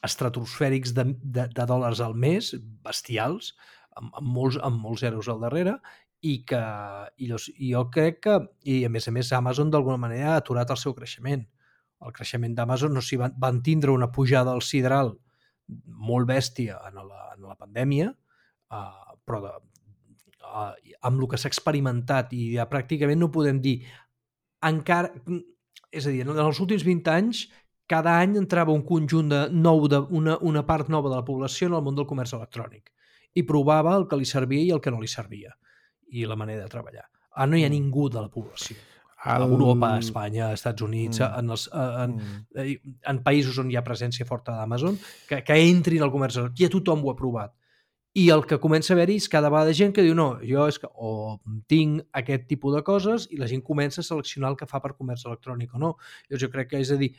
estratosfèrics de dòlars al mes, bestials, amb molts zeros al darrere, i jo crec que, i a més Amazon d'alguna manera ha aturat el seu creixement. El creixement d'Amazon, no s'hi van tindre una pujada al sidral molt bèstia en la pandèmia, però amb el que s'ha experimentat, i ja pràcticament no podem dir encara, és a dir, en els últims 20 anys cada any entrava un conjunt una part nova de la població en el món del comerç electrònic i provava el que li servia i el que no li servia i la manera de treballar. Ara no hi ha ningú de la població. A Europa, a Espanya, als Estats Units, en països on hi ha presència forta d'Amazon, que entrin al comerç electrònic, ja tothom ho ha provat. I el que comença a haver-hi és cada vegada gent que diu no, jo és que o tinc aquest tipus de coses i la gent comença a seleccionar el que fa per comerç electrònic o no. Jo crec que, és a dir,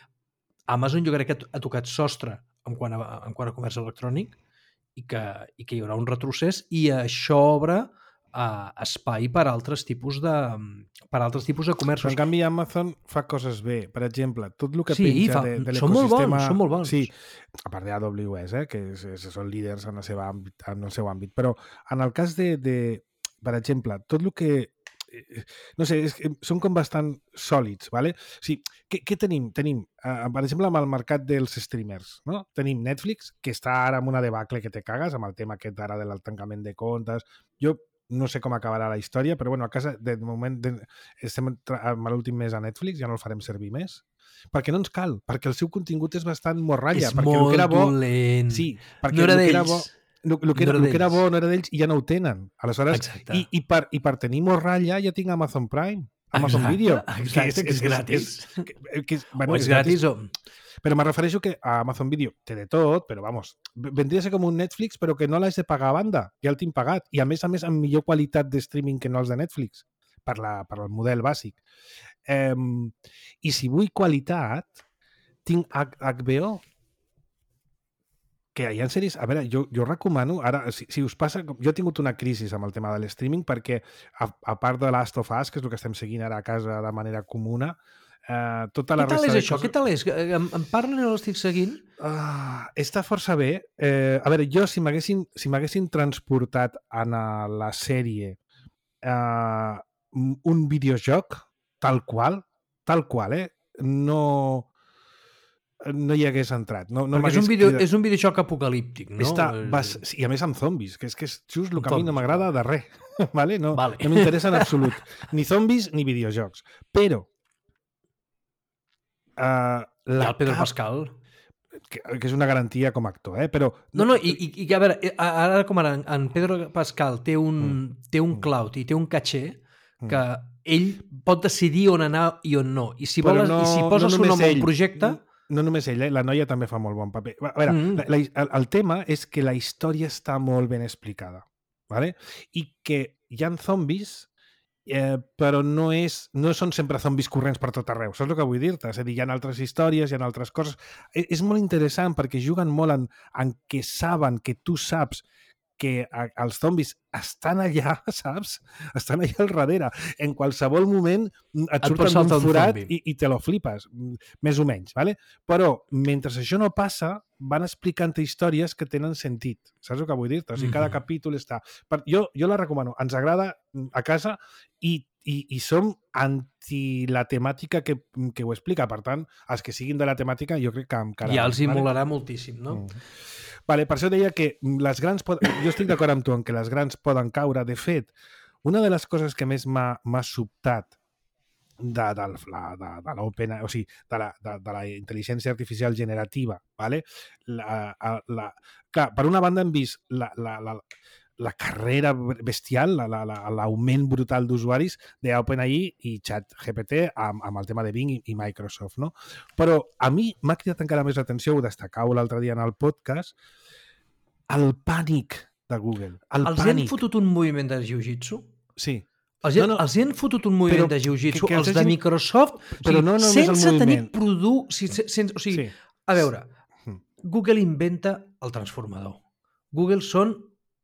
Amazon jo crec que ha tocat sostre en quant a comerç electrònic i que hi haurà un retrocés i això obre espai per altres tipus de comerços. Però en canvi Amazon fa coses bé. Per exemple, tot el que penja de l'ecosistema... Són molt bons. Sí, a part d'AWS, que són líders en el seu àmbit. Però en el cas per exemple, tot el que... No sé, són com bastant sòlids, ¿vale? O sigui, què tenim? Tenim, per exemple, amb el mercat dels streamers, no? Tenim Netflix, que està ara amb una debacle que te cagues, amb el tema aquest ara del tancament de comptes. Jo no sé com acabarà la història, però bueno, a casa, de moment, estem amb l'últim mes a Netflix, ja no el farem servir més. Perquè no ens cal, perquè el seu contingut és bastant morralla. És molt dolent. Sí, perquè no era d'ells. El que era bo no era d'ells i ja no ho tenen. Aleshores, i per tenir morralla ja tinc Amazon Prime, Amazon Video. Exacte, que és gratis. O és gratis o... Però me refereixo que a Amazon Video té de tot, però vamos, vendria a ser com un Netflix, però que no l'has de pagar a banda, ja el tinc pagat. I a més amb millor qualitat de streaming que no els de Netflix, per el model bàsic. I si vull qualitat, tinc HBO, que hi ha sèries... A veure, jo recomano... Ara, si us passa... Jo he tingut una crisi amb el tema de l'streaming perquè, a part de Last of Us, que és el que estem seguint ara a casa de manera comuna, tota la resta... Què tal és? Em parlen o l'estic seguint? Està força bé. A veure, jo si m'haguessin transportat en la sèrie un videojoc tal qual, no hi hagués entrat. Perquè és un videojoc apocalíptic, no? I a més amb zombis, que és just el que a mi no m'agrada de res. Vale? No m'interessa en absolut. Ni zombis ni videojocs. Però... I el Pedro Pascal. que és una garantia com a actor, però... No, i a veure, ara com ara en Pedro Pascal té un cloud i té un caché que ell pot decidir on anar i on no. I si posa el seu nom a un projecte... No només ell, la noia també fa molt bon paper. A veure, el tema és que la història està molt ben explicada, ¿vale? I que hi ha zombis, però no són sempre zombis corrents per tot arreu. Saps el que vull dir-te? És a dir, hi ha altres històries, hi ha altres coses. És molt interessant perquè juguen molt en que saben que tu saps que els zombis estan allà, saps? Estan allà al darrere. En qualsevol moment et surten d'un forat i te lo flipes, més o menys, ¿vale? Però mentre això no passa, van explicant històries que tenen sentit. Saps el que vull dir-te? O sigui, cada capítol està... Jo la recomano. Ens agrada a casa i som anti la temàtica que ho explica. Per tant, els que siguin de la temàtica jo crec que encara... Ja els hi molarà moltíssim, no? Vale, per això deia que les grans... Jo estic d'acord amb tu en que les grans poden caure. De fet, una de les coses que més m'ha sobtat de l'OpenAI, o sigui, de la intel·ligència artificial generativa, ¿vale? Clar, per una banda hem vist la carrera bestial, l'augment brutal d'usuaris d'OpenAI i ChatGPT amb el tema de Bing i Microsoft, no? Però a mi m'ha cridat encara més l'atenció, ho destacau l'altre dia en el podcast, el pànic de Google. Els han fotut un moviment de jiu-jitsu? Sí. Els hi han fotut un moviment de jiu-jitsu, els de Microsoft, sense tenir producte... O sigui, a veure, Google inventa el transformador. Google són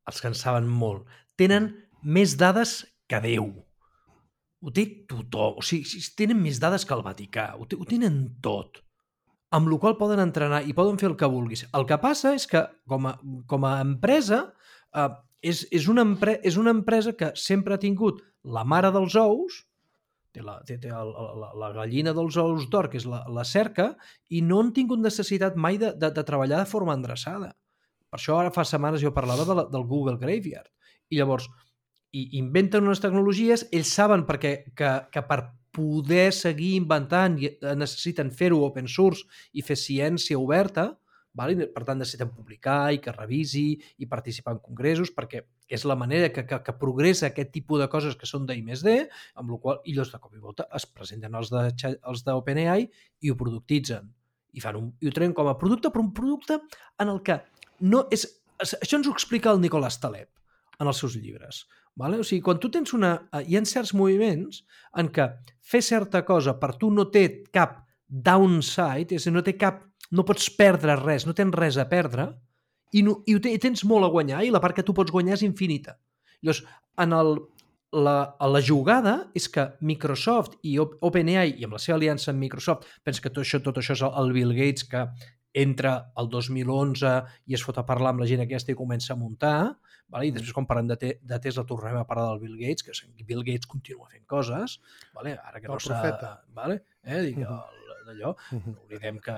els que en saben molt. Tenen més dades que Déu. Ho té tothom. O sigui, tenen més dades que el Vaticà. Ho tenen tot. Amb la qual poden entrenar i poden fer el que vulguis. El que passa és que, com a empresa, és una empresa que sempre ha tingut la mare dels ous, té la gallina dels ous d'or, que és la cerca, i no han tingut necessitat mai de treballar de forma endreçada. Per això ara fa setmanes jo parlava del Google Graveyard. I llavors, inventen unes tecnologies, ells saben que per poder seguir inventant necessiten fer-ho open source i fer ciència oberta, per tant necessiten publicar i que revisi i participar en congressos, perquè és la manera que progressa aquest tipus de coses que són d'I+D, amb la qual ells de cop i volta es presenten els d'OpenAI i ho productitzen. I ho treuen com a producte, però un producte en el que no és... Això ens ho explica el Nicolás Taleb en els seus llibres. O sigui, quan tu tens hi ha certs moviments en què fer certa cosa per tu no té cap downside, és a dir, no pots perdre res, no tens res a perdre, i tens molt a guanyar, i la part que tu pots guanyar és infinita. Llavors, la jugada és que Microsoft i OpenAI, i amb la seva aliança amb Microsoft, pensa que tot això és el Bill Gates que entra el 2011 i es fot a parlar amb la gent aquesta i comença a muntar, i després quan parlem de Tesla tornem a parlar del Bill Gates, que Bill Gates continua fent coses, ara que no s'ha... d'allò, no oblidem que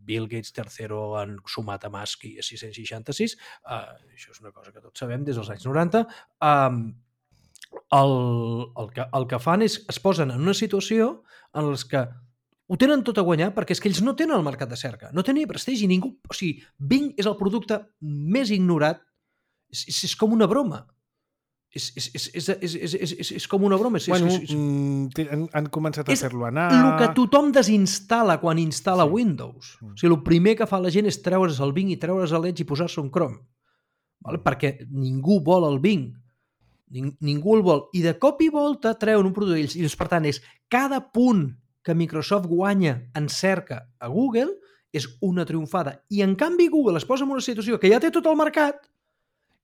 Bill Gates III han sumat a Musk i a 666, això és una cosa que tots sabem des dels anys 90, el que fan és es posen en una situació en les que ho tenen tot a guanyar perquè és que ells no tenen el mercat de cerca, no tenen prestigi, ningú... O sigui, Bing és el producte més ignorat, és com una broma. És com una broma. Han començat a fer-lo anar... És el que tothom desinstal·la quan instal·la Windows. O sigui, el primer que fa la gent és treure's el Bing i treure's l'Edge i posar-se un Chrome. Perquè ningú vol el Bing. Ningú el vol. I de cop i volta treuen un product d'ells. I per tant, és cada punt que Microsoft guanya en cerca a Google és una triomfada. I en canvi Google es posa en una situació que ja té tot el mercat,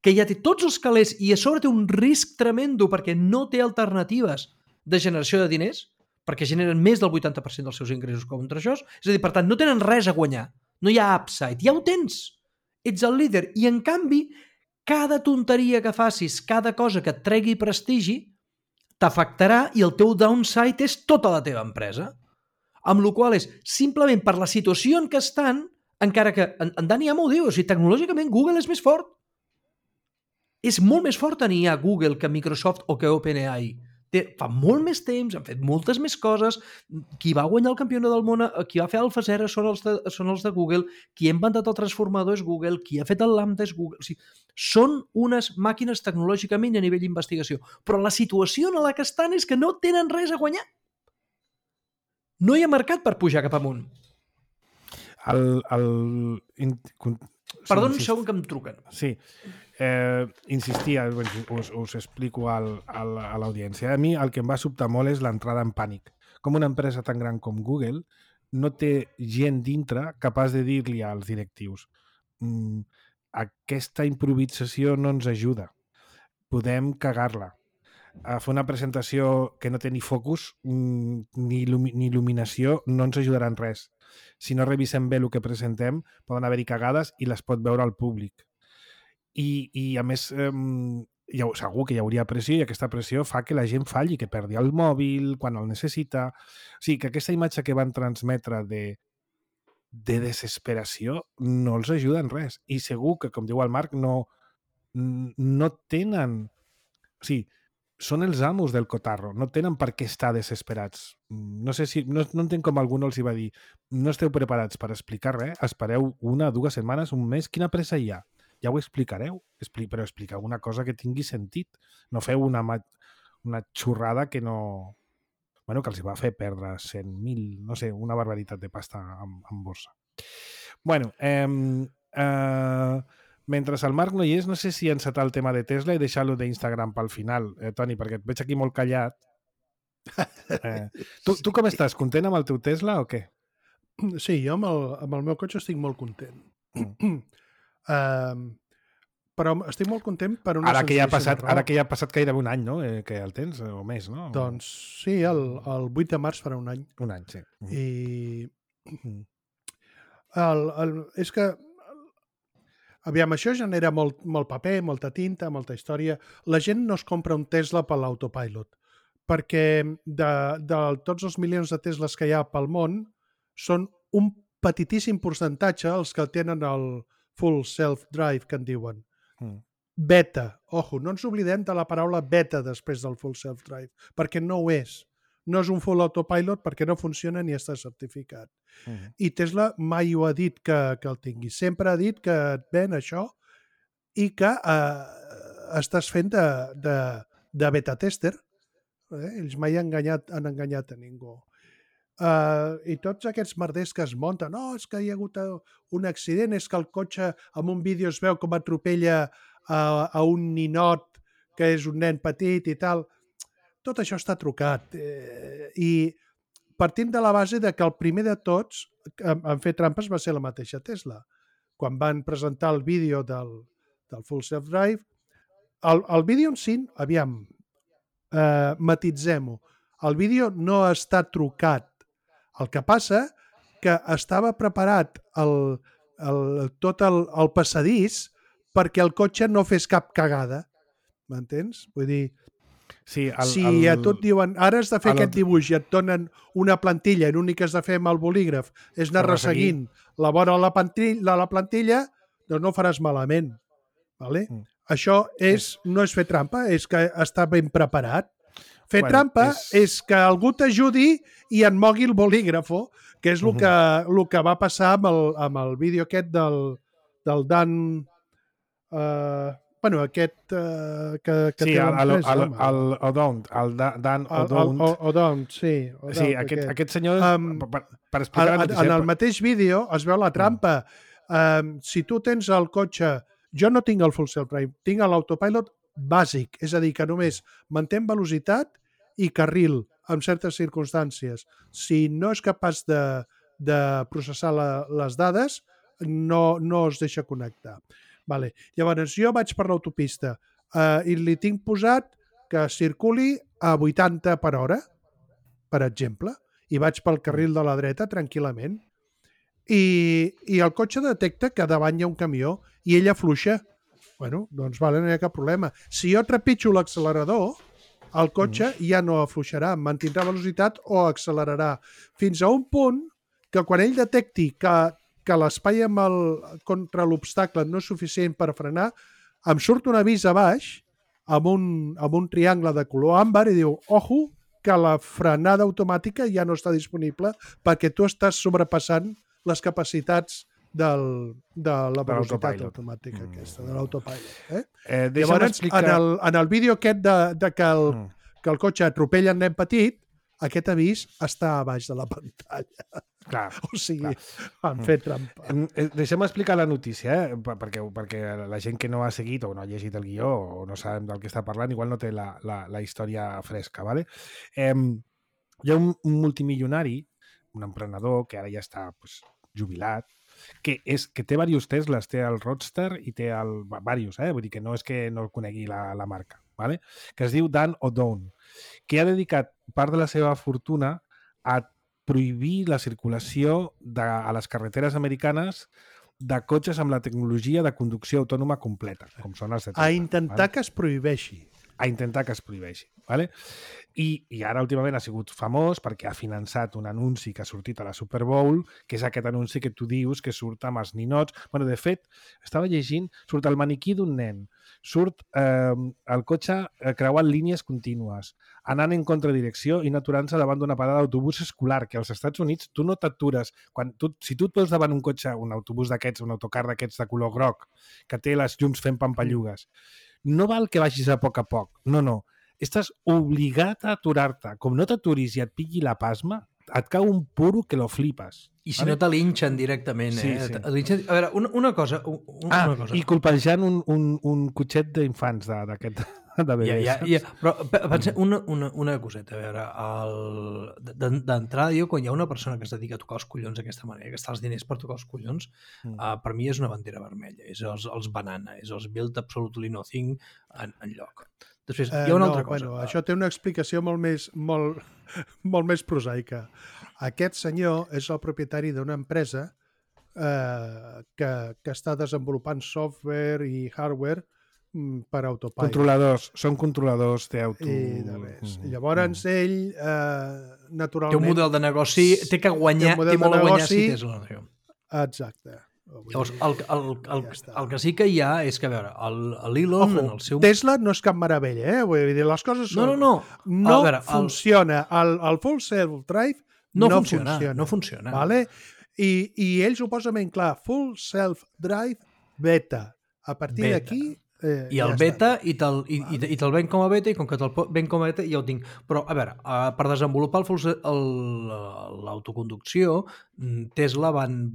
que ja té tots els calés i a sobre té un risc tremendo perquè no té alternatives de generació de diners, perquè generen més del 80% dels seus ingressos contra això. És a dir, per tant, no tenen res a guanyar. No hi ha upside. Ja ho tens. Ets el líder. I en canvi, cada tonteria que facis, cada cosa que et tregui prestigi, t'afectarà i el teu downside és tota la teva empresa. Amb la qual és, simplement per la situació en què estan, encara que en Dani Amo ho diu, o sigui, tecnològicament Google és més fort. És molt més fort tenir a Google que Microsoft o que OpenAI. fa molt més temps, han fet moltes més coses. Qui va guanyar el campionat del món, qui va fer AlphaZero són els de Google, qui ha inventat el transformador és Google, qui ha fet el Lambda és Google. O sigui, són unes màquines tecnològicament a nivell d'investigació. Però la situació en la que estan és que no tenen res a guanyar. No hi ha mercat per pujar cap amunt. Perdó, un segon que em truquen. Sí. Insistia, us explico a l'audiència. A mi el que em va sobtar molt és l'entrada en pànic. Com una empresa tan gran com Google no té gent dintre capaç de dir-li als directius aquesta improvisació no ens ajuda. Podem cagar-la. Fer una presentació que no té ni focus ni il·luminació no ens ajudarà en res. Si no revisem bé el que presentem, poden haver-hi cagades i les pot veure el públic. I a més, segur que hi hauria pressió i aquesta pressió fa que la gent falli, que perdi el mòbil quan el necessita. O sigui, que aquesta imatge que van transmetre de desesperació no els ajuda en res. I segur que, com diu el Marc, no tenen... O sigui, són els amos del cotarro, no tenen per què estar desesperats. No sé si... No entenc com algú els hi va dir no esteu preparats per explicar res, espereu 1, 2 setmanes, un mes, quina pressa hi ha? Ja ho explicareu, però expliqueu una cosa que tingui sentit. No feu una xorrada que no... Bueno, que els va fer perdre 100.000, no sé, una barbaritat de pasta en borsa. Bueno, mentre el Marc no hi és, no sé si encetar el tema de Tesla i deixar-lo d'Instagram pel final, Toni, perquè et veig aquí molt callat. Tu com estàs? Content amb el teu Tesla o què? Sí, jo amb el meu cotxe estic molt content. Però estic molt content per una senzilla raó. Ara que ja ha passat gairebé un any, no? Que el tens, o més, no? Doncs sí, el 8 de març farà un any. Un any, sí. I és que aviam, això genera molt paper, molta tinta, molta història. La gent no es compra un Tesla per l'autopilot, perquè de tots els milions de Teslas que hi ha pel món, són un petitíssim percentatge els que tenen el full self-drive, que en diuen. Beta. Ojo, no ens oblidem de la paraula beta després del full self-drive, perquè no ho és. No és un full autopilot perquè no funciona ni està certificat. I Tesla mai ho ha dit que el tingui. Sempre ha dit que et ven això i que estàs fent de beta tester. Ells mai han enganyat a ningú. I tots aquests merders que es munten, és que hi ha hagut un accident, és que el cotxe en un vídeo es veu com atropella a un ninot que és un nen petit i tal. Tot això està trucat. I partim de la base de que el primer de tots en fer trampes va ser la mateixa Tesla. Quan van presentar el vídeo del Full Self-Drive, el vídeo en si, aviam, matitzem-ho. El vídeo no està trucat. El que passa que estava preparat tot el passadís perquè el cotxe no fes cap cagada. M'entens? Vull dir, sí, si a tu et diuen ara has de fer aquest dibuix i et donen una plantilla i l'únic que has de fer amb el bolígraf és anar resseguint la vora de la plantilla, doncs no ho faràs malament. Vale? Això no és fer trampa, és que està ben preparat. Fer trampa és que algú t'ajudi i en mogui el bolígrafo, que és el que va passar amb el vídeo aquest del Dan... Bueno, aquest que sí, té l'empresa. El Dan O'Dowd. Sí. Sí, aquest senyor, per explicar... En el mateix vídeo es veu la trampa. Si tu tens el cotxe... Jo no tinc el full self-drive, tinc l'autopilot bàsic, és a dir, que només mantén velocitat i carril en certes circumstàncies. Si no és capaç de processar les dades, no es deixa connectar. Vale. Llavors, jo vaig per l'autopista i li tinc posat que circuli a 80 per hora, per exemple, i vaig pel carril de la dreta tranquil·lament. I el cotxe detecta que davant hi ha un camió i ell afluixa. Bueno, doncs vale, no hi ha cap problema. Si jo trepitjo l'accelerador, el cotxe ja no afluixarà, mantindrà velocitat o accelerarà. Fins a un punt que quan ell detecti que l'espai contra l'obstacle no és suficient per frenar, em surt un avís a baix amb un triangle de color àmbar i diu, ojo, que la frenada automàtica ja no està disponible perquè tu estàs sobrepassant les capacitats de la velocitat automàtica aquesta, de l'autopilot. Llavors, en el vídeo aquest que el cotxe atropella el nen petit, aquest avís està a baix de la pantalla. Clar, o sigui, han fet trampa. Deixem explicar la notícia, perquè la gent que no ha seguit o no ha llegit el guió o no sabem del que està parlant, igual no té la història fresca. ¿Vale? Hi ha un multimilionari, un emprenedor que ara ja està jubilat, que té diversos Teslas, té el Roadster i té diversos, vull dir que no és que no conegui la marca, ¿vale? Que es diu Dan O'Down, que ha dedicat part de la seva fortuna a prohibir la circulació a les carreteres americanes de cotxes amb la tecnologia de conducció autònoma completa, com són els de Tesla. A intentar que es prohibeixi. A intentar que es prohibeixi. ¿Vale? I ara últimament ha sigut famós perquè ha finançat un anunci que ha sortit a la Super Bowl, que és aquest anunci que tu dius que surt amb els ninots. Bueno, de fet, estava llegint, surt el maniquí d'un nen, surt el cotxe creuant línies contínues, anant en contradirecció i no aturant-se davant d'una parada d'autobús escolar, que als Estats Units tu no t'atures. Si tu et veus davant un cotxe, un autobús d'aquests, un autocar d'aquests de color groc, que té les llums fent pampallugues, no val que vagis a poc, no. Estàs obligat a aturar-te. Com no t'aturis i et pilli la pasma, et cau un puro que lo flipes. I si no te linxen directament, sí. A veure, una cosa... I colpejant un cotxet d'infants d'aquest... de bebès. Però una coseta, a veure, d'entrada jo, quan hi ha una persona que es dedica a tocar els collons d'aquesta manera, que està els diners per tocar els collons, per mi és una bandera vermella, és els banana, és els build absolutely nothing en lloc. Després, hi ha una altra cosa. Bueno, això té una explicació molt més prosaica. Aquest senyor és el propietari d'una empresa que està desenvolupant software i hardware per autopilot. Són controladors d'auto... Llavors ell, naturalment... Té un model de negoci, té molt a guanyar si Tesla. Exacte. Llavors, el que sí que hi ha és que, a veure, l'Elon en el seu... Tesla no és cap meravella, Vull dir, les coses són... No. No funciona. El full self-drive no funciona. Vale? I ell ho posa ben clar. Full self-drive beta. A partir d'aquí... I el beta, i te'l ven com a beta, i com que te'l ven com a beta ja ho tinc. Però, a veure, per desenvolupar l'autoconducció, Tesla van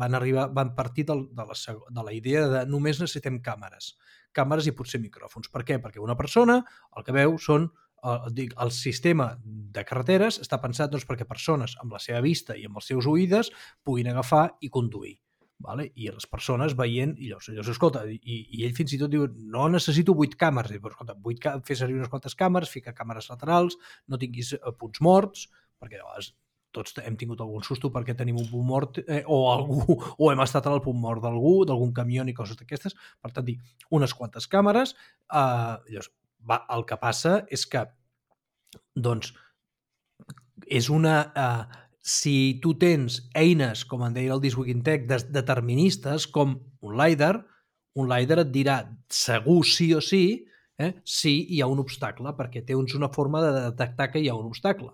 partir de la idea de només necessitem càmeres i potser micròfons. Per què? Perquè una persona el que veu són el sistema de carreteres està pensat perquè persones amb la seva vista i amb els seus oïdes puguin agafar i conduir. Vale? I les persones veient, i llavors escolta, i ell fins i tot diu, no necessito 8 càmeres, però escolta, fer servir unes quantes càmeres, fica càmeres laterals, no tinguis punts morts, perquè llavors tots hem tingut algun susto perquè tenim un punt mort o hem estat al punt mort d'algun camió i coses d'aquestes, per tant, dir, unes quantes càmeres, llavors, el que passa és que, doncs, és una... Si tu tens eines, com en deia el This Week in Tech, deterministes, com un LiDAR et dirà segur sí o sí si hi ha un obstacle, perquè té una forma de detectar que hi ha un obstacle.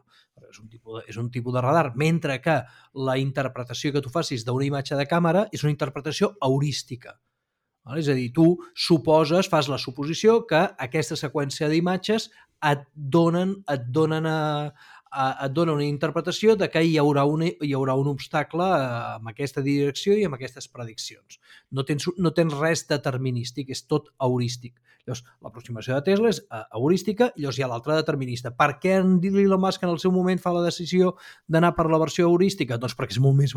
És un tipus de radar, mentre que la interpretació que tu facis d'una imatge de càmera és una interpretació heurística. És a dir, tu fas la suposició que aquesta seqüència d'imatges et donen una interpretació de que hi haurà un obstacle amb aquesta direcció i amb aquestes prediccions. No tens res determinístic, és tot heurístic. Llavors, l'aproximació de Tesla és heurística, i llavors hi ha l'altra determinista. Per què en Elon Musk en el seu moment fa la decisió d'anar per la versió heurística? Doncs perquè són molt més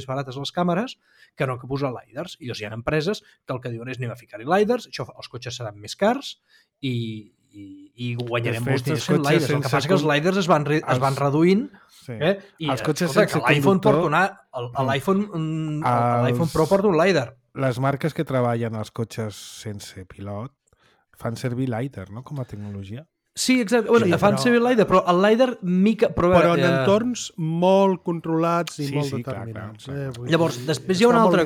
barates les càmeres que no que posar LiDARs. I llavors hi ha empreses que el que diuen és anem a ficar-hi LiDARs, els cotxes seran més cars i guanyarem molts diners fent LiDARs. El que passa que els LiDARs es van reduint i els cotxes sense conductor... L'iPhone Pro porta un LiDAR. Les marques que treballen als cotxes sense pilot fan servir LiDAR, no?, com a tecnologia. Sí, exacte. Bueno, fan servir LiDAR, però el LiDAR però en entorns molt controlats i molt determinats. Clar. Llavors, després hi ha una altra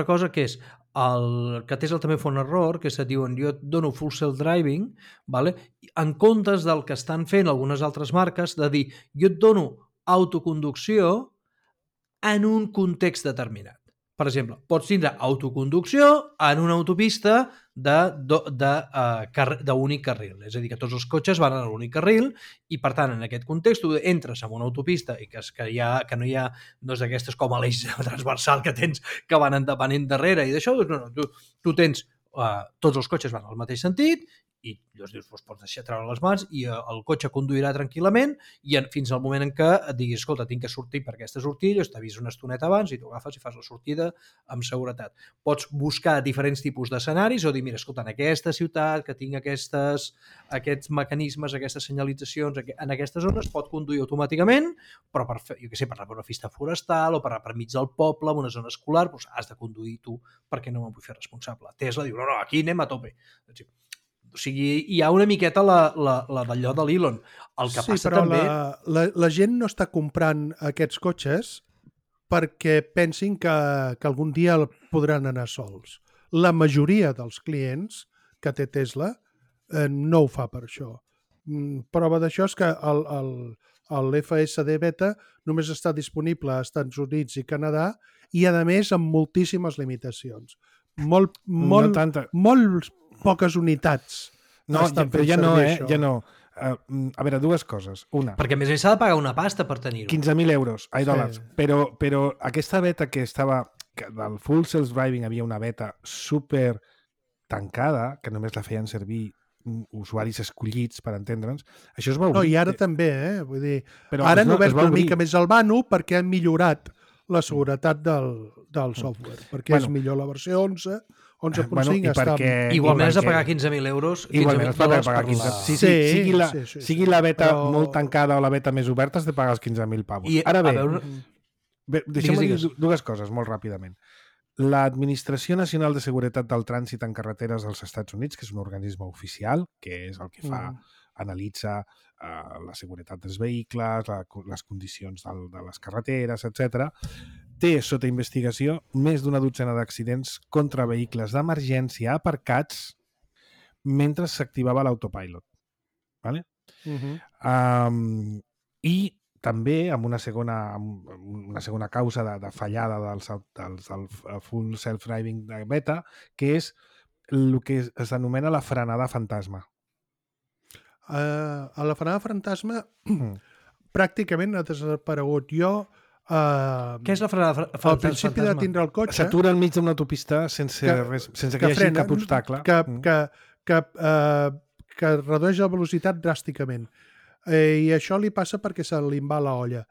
cosa que és que Tesla també fa un error, que se diuen jo et dono full self-driving, vale? En comptes del que estan fent algunes altres marques, de dir jo et dono autoconducció en un context determinat. Per exemple, pots tindre autoconducció en una autopista d'únic carril. És a dir, que tots els cotxes van a l'únic carril i, per tant, en aquest context, tu entres en una autopista i que no hi ha dos d'aquestes com a l'eix transversal que tens que van endarrere i d'això, no, tu tens tots els cotxes van al mateix sentit i llavors dius, pots deixar treure les mans i el cotxe conduirà tranquil·lament i fins al moment en què et diguis, escolta, tinc que sortir per aquesta sortida, t'ha vist una estoneta abans i tu agafes i fas la sortida amb seguretat. Pots buscar diferents tipus d'escenaris o dir, mira, escolta, en aquesta ciutat que tinc aquests mecanismes, aquestes senyalitzacions, en aquestes zones pot conduir automàticament, però per una pista forestal o per mig del poble, en una zona escolar, doncs has de conduir tu perquè no me'n vull fer responsable. Tesla diu, no, aquí anem a tope. O sigui, hi ha una miqueta d'allò de l'Elon. El que passa però també... la gent no està comprant aquests cotxes perquè pensin que algun dia podran anar sols. La majoria dels clients que té Tesla no ho fa per això. Prova d'això és que l'FSD Beta només està disponible als Estats Units i Canadà i, a més, amb moltíssimes limitacions. Molt poques unitats. No, però ja no, ja no. A veure, dues coses. Una. Perquè a més s'ha de pagar una pasta per tenir-ho. 15.000 euros, dòlars. Però aquesta beta que estava... Que del full self-driving havia una beta super tancada, que només la feien servir usuaris escollits, per entendre'ns. Això es va obrir. No, i ara també, Vull dir, però ara han obert una mica més el vano perquè han millorat la seguretat del software, perquè és millor la versió 11, 11.5 està... Igualment has de pagar 15.000 euros. Igualment has de pagar 15.000. Sigui la beta molt tancada o la beta més oberta, has de pagar els 15.000 pavos. Ara bé, deixem-me dir dues coses molt ràpidament. L'Administració Nacional de Seguretat del Trànsit en Carreteres dels Estats Units, que és un organisme oficial, que és el que analitza la seguretat dels vehicles, les condicions de les carreteres, etc., té sota investigació més d'una dotzena d'accidents contra vehicles d'emergència aparcats mentre s'activava l'autopilot. Vale? I també amb una segona causa de fallada del full self-driving de beta, que és el que es denomina la frenada fantasma. A la frenada fantasma pràcticament ha desaparegut. Què és la frenada fantasma? Al principi de tindre el cotxe... S'atura enmig d'una autopista sense que hi hagi cap obstacle. Que redueix la velocitat dràsticament. I això li passa perquè se li va la olla.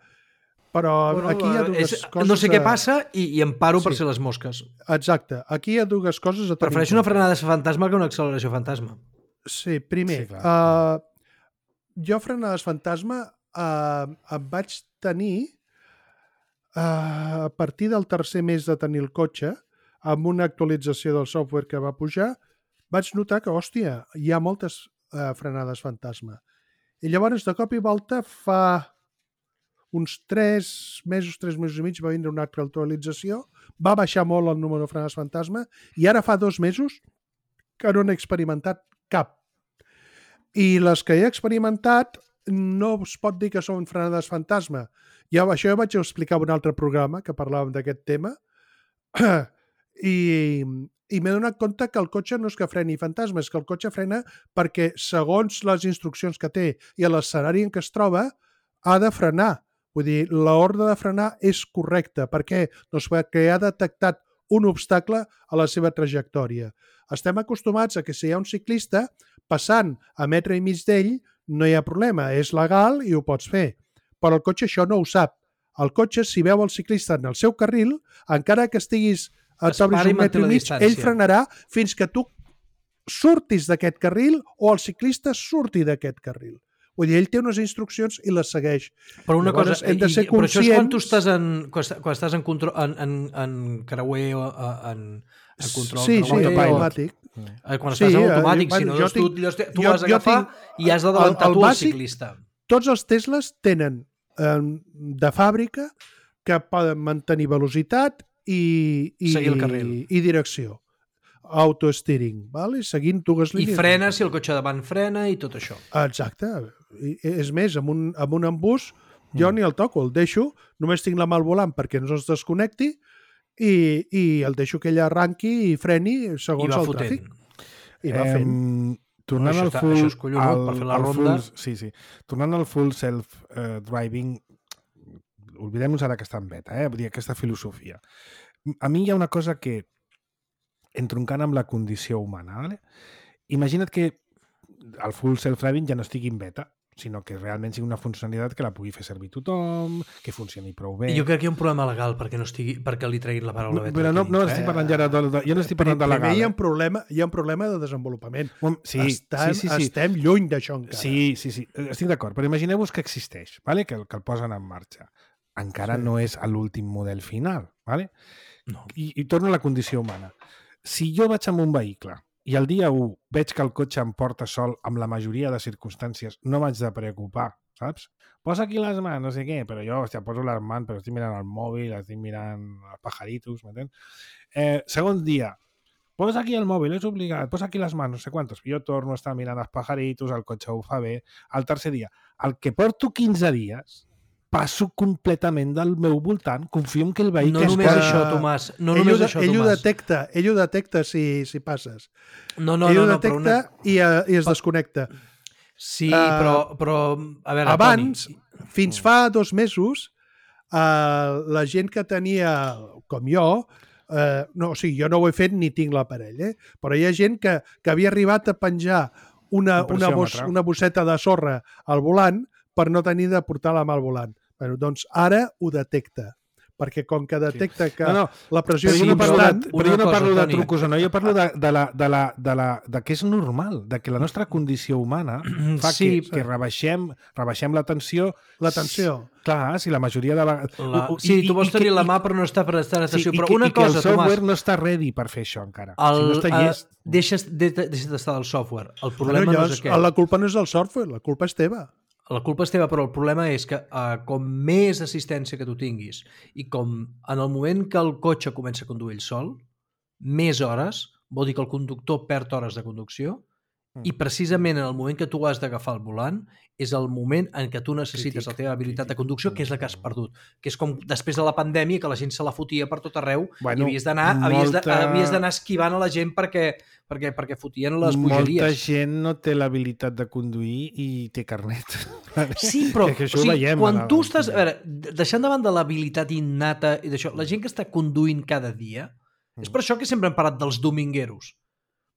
Però aquí hi ha dues coses... No sé què passa i em paro per ser les mosques. Exacte. Aquí hi ha dues coses a tenir. Prefereixo una frenada fantasma que una acceleració fantasma. Sí, primer, jo frenades fantasma em vaig tenir a partir del tercer mes de tenir el cotxe, amb una actualització del software que va pujar, vaig notar que, hòstia, hi ha moltes frenades fantasma. I llavors, de cop i volta, fa uns 3 mesos i mig va vindre una altra actualització, va baixar molt el número de frenades fantasma i ara fa 2 mesos que no n'he experimentat cap. I les que he experimentat no es pot dir que són frenades fantasma. Això ja vaig explicar en un altre programa que parlàvem d'aquest tema i m'he donat compte que el cotxe no és que freni fantasma, és que el cotxe frena perquè segons les instruccions que té i l'escenari en què es troba ha de frenar. Vull dir, l'ordre de frenar és correcta. Per què? Doncs perquè ha detectat un obstacle a la seva trajectòria. Estem acostumats a que si hi ha un ciclista passant a metre i mig d'ell no hi ha problema, és legal i ho pots fer. Però el cotxe això no ho sap. El cotxe, si veu el ciclista en el seu carril, encara que estiguis a un metre i mig, ell frenarà fins que tu surtis d'aquest carril o el ciclista surti d'aquest carril. Vull dir, ell té unes instruccions i les segueix. Però una cosa, hem de ser conscients... Però això és quan tu estàs en creuer o en control. Sí, automàtic. Quan estàs en automàtic, si no, tu has d'agafar i has d'adelantar tu al ciclista. Tots els Teslas tenen de fàbrica que poden mantenir velocitat i direcció. auto-steering, vale? Seguint dues línies. I frena si el cotxe davant frena i tot això. Exacte. És més, amb un embús jo ni el toco, el deixo, només tinc la mà al volant perquè no es desconnecti i el deixo que ella arranqui i freni segons el tràfic. I va fent. Tornant al full... Això és collonut per fer la ronda. Sí. Tornant al full self-driving, oblidem-nos ara que està en beta, vull dir, aquesta filosofia. A mi hi ha una cosa que, entroncant amb la condició humana, vale? Imagina't que el full self-driving ja no estigui en beta, sinó que realment sigui una funcionalitat que la pugui fer servir tothom, que funcioni prou bé. Jo crec que hi ha un problema legal perquè li treguin la paraula beta. Però no estic parlant ja jo no estic parlant de legal. Hi ha un problema de desenvolupament. Sí. Estem lluny d'això encara. Sí, estic d'acord, però imagineu-vos que existeix, vale? que el posen en marxa. Encara no és l'últim model final. Vale? No. I torno a la condició humana. Si jo vaig amb un vehicle i el dia 1 veig que el cotxe em porta sol amb la majoria de circumstàncies, no m'haig de preocupar, saps? Posa aquí les mans, no sé què, però jo, poso les mans, però estic mirant el mòbil, estic mirant els pajaritos, m'entens? Segon dia, posa aquí el mòbil, és obligat, posa aquí les mans, no sé quantos. Jo torno a estar mirant els pajaritos, el cotxe ho fa bé. El tercer dia, el que porto 15 dies, passo completament del meu voltant, confio en que el vehicle... No només això, Tomàs. Ell ho detecta si passes. No, ell ho detecta i es desconnecta. Sí, però a veure, abans, Toni... fins fa 2 mesos, la gent que tenia, com jo, jo no ho he fet ni tinc l'aparell, però hi ha gent que havia arribat a penjar una bosseta de sorra al volant per no tenir de portar la mà al volant. Bueno, doncs ara ho detecta, perquè com que detecta que la pressió és constant... Però jo no parlo de trucos o no, jo parlo de que és normal, de que la nostra condició humana fa que rebaixem la tensió. La tensió. Clar, si la majoria de vegades... Sí, tu vols tenir la mà però no està per estar en tensió. Però una cosa, Tomàs... el software no està ready per fer això encara. Si no està llest... Deixa d'estar del software. El problema no és aquest. La culpa no és del software, la culpa és teva. La culpa és teva, però el problema és que com més assistència que tu tinguis i com en el moment que el cotxe comença a conduir ell sol, més hores, vol dir que el conductor perd hores de conducció i precisament en el moment que tu has d'agafar el volant és el moment en què tu necessites la teva habilitat de conducció, que és la que has perdut. Que és com després de la pandèmia, que la gent se la fotia per tot arreu i havies d'anar esquivant a la gent perquè fotien les bogeries. Molta gent no té l'habilitat de conduir i té carnet. Sí, però quan tu estàs... A veure, deixant davant de l'habilitat innata i d'això, la gent que està conduint cada dia, és per això que sempre hem parlat dels domingueros.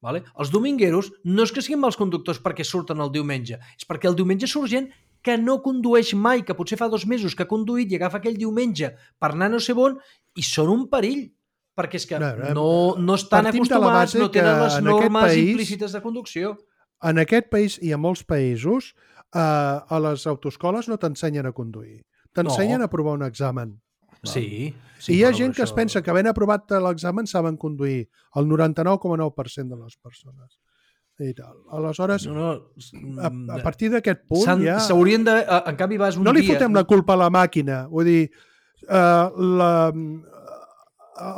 Vale? Els domingueros no és que siguin mals conductors perquè surten el diumenge, és perquè el diumenge surt gent que no condueix mai, que potser fa 2 mesos que ha conduït i agafa aquell diumenge per anar no sé on i són un perill, perquè és que no estan acostumats, no tenen les normes implícites de conducció. En aquest país i a molts països a les autoescoles no t'ensenyen a conduir, t'ensenyen a provar un examen. Sí. I hi ha gent que es pensa que havent aprovat l'examen saben conduir el 99,9% de les persones. I tal. Aleshores, a partir d'aquest punt ja... S'haurien de... En canvi, vas un dia... No li fotem la culpa a la màquina. Vull dir,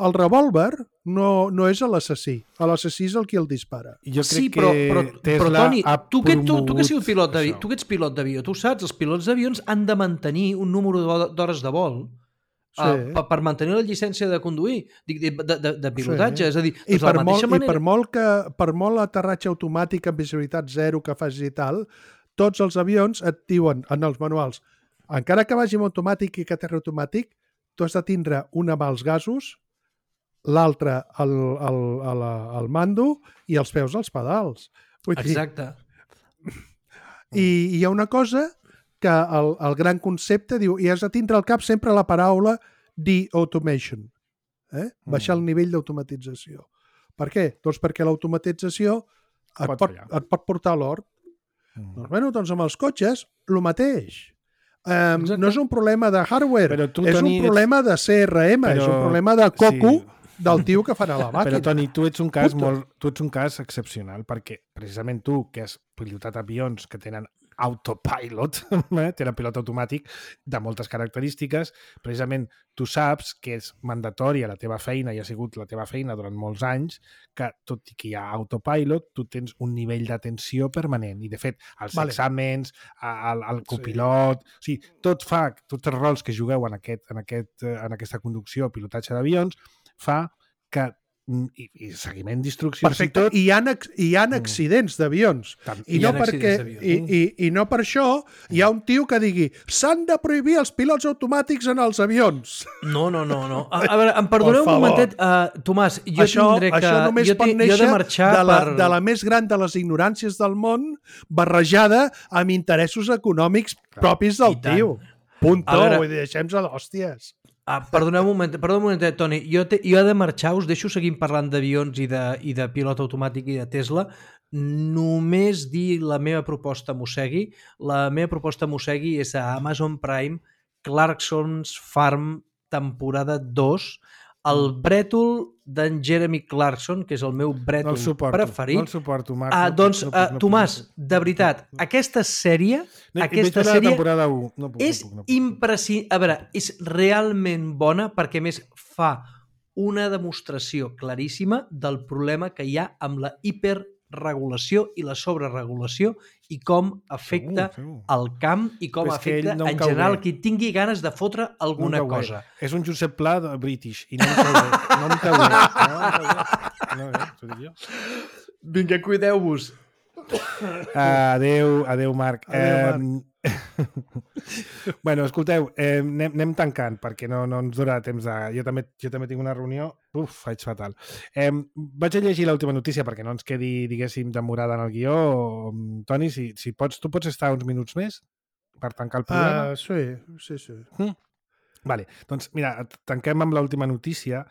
el revòlver no és l'assassí. L'assassí és el qui el dispara. Jo crec però Toni, tu que has sigut pilot d'avió, tu que ets pilot d'avió, tu saps, els pilots d'avions han de mantenir un número d'hores de vol per mantenir la llicència de conduir, de pilotatge, és a dir, I per molt aterratge automàtic amb visibilitat zero que facis i tal, tots els avions et diuen en els manuals, encara que vagi amb automàtic i que aterri automàtic, tu has de tindre una mà als gasos, l'altra al mando i els peus als pedals. Exacte. I hi ha una cosa que el gran concepte diu, i has de tindre al cap sempre la paraula de-automation, baixar el nivell d'automatització. Per què? Doncs perquè l'automatització et pot portar a l'hort. Doncs amb els cotxes, el mateix. No és un problema de hardware, és un problema de CRM, és un problema de coco del tio que farà la màquina. Però, Toni, tu ets un cas excepcional, perquè precisament tu, que has pilotat avions que tenen autopilot, té el pilot automàtic de moltes característiques. Precisament tu saps que és mandatori a la teva feina i ha sigut la teva feina durant molts anys, que tot i que hi ha autopilot, tu tens un nivell d'atenció permanent. I, de fet, els exàmens, el copilot... O sigui, tots els rols que jugueu en aquesta conducció, pilotatge d'avions, fa que i seguiment d'instruccions. Perfecte. I hi ha accidents d'avions. I no per això hi ha un tio que digui s'han de prohibir els pilots automàtics en els avions. No. A veure, em perdoneu un momentet, Tomàs, jo tindré que... Això només pot néixer de la més gran de les ignoràncies del món barrejada amb interessos econòmics propis del tio. Punto. Deixem-se d'hòsties. Perdoneu un momentet, Toni. Jo he de marxar, us deixo seguint parlant d'avions i de pilot automàtic i de Tesla. Només dir la meva proposta Mossegui. La meva proposta Mossegui és a Amazon Prime, Clarkson's Farm, temporada 2, el brètol d'en Jeremy Clarkson, que és el meu brètol preferit. No el suporto, Marc. Doncs, Tomàs, de veritat, aquesta sèrie és imprescindible. A veure, és realment bona perquè, a més, fa una demostració claríssima del problema que hi ha amb la hiperregulació i la sobreregulació i com afecta el camp i com afecta en general qui tingui ganes de fotre alguna cosa. És un Josep Pla british i no em cau bé. No, t'ho dic jo. Vinga, cuideu-vos. Adéu, Marc. Bueno, escolteu, anem tancant perquè no ens durarà temps de... Jo també tinc una reunió. Faig fatal. Vaig a llegir l'última notícia perquè no ens quedi, diguéssim, demorada en el guió. Toni, si pots, tu pots estar uns minuts més per tancar el programa? Sí. Vale, doncs mira, tanquem amb l'última notícia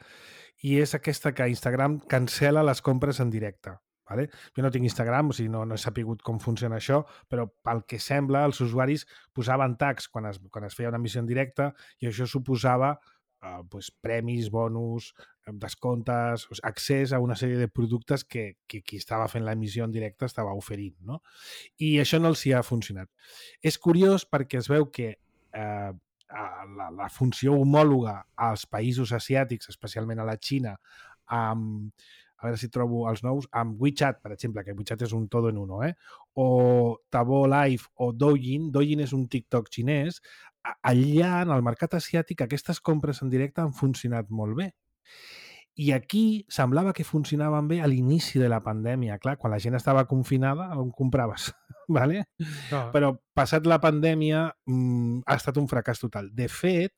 i és aquesta que Instagram cancela les compres en directe. Vale? Jo no tinc Instagram, o sigui, no he sapigut com funciona això, però pel que sembla els usuaris posaven tags quan es feia una emissió en directe i això suposava premis, bonus, descomptes, accés a una sèrie de productes que qui estava fent l'emissió en directe estava oferint, no? I això no els hi ha funcionat. És curiós perquè es veu que la funció homòloga als països asiàtics, especialment a la Xina, a veure si trobo els nous, amb WeChat, per exemple, que WeChat és un todo en uno, o Tabo Live o Douyin. Douyin és un TikTok xinès. Allà, en el mercat asiàtic, aquestes compres en directe han funcionat molt bé. I aquí semblava que funcionaven bé a l'inici de la pandèmia. Clar, quan la gent estava confinada, on compraves? ¿Vale? No. Però passat la pandèmia ha estat un fracàs total. De fet,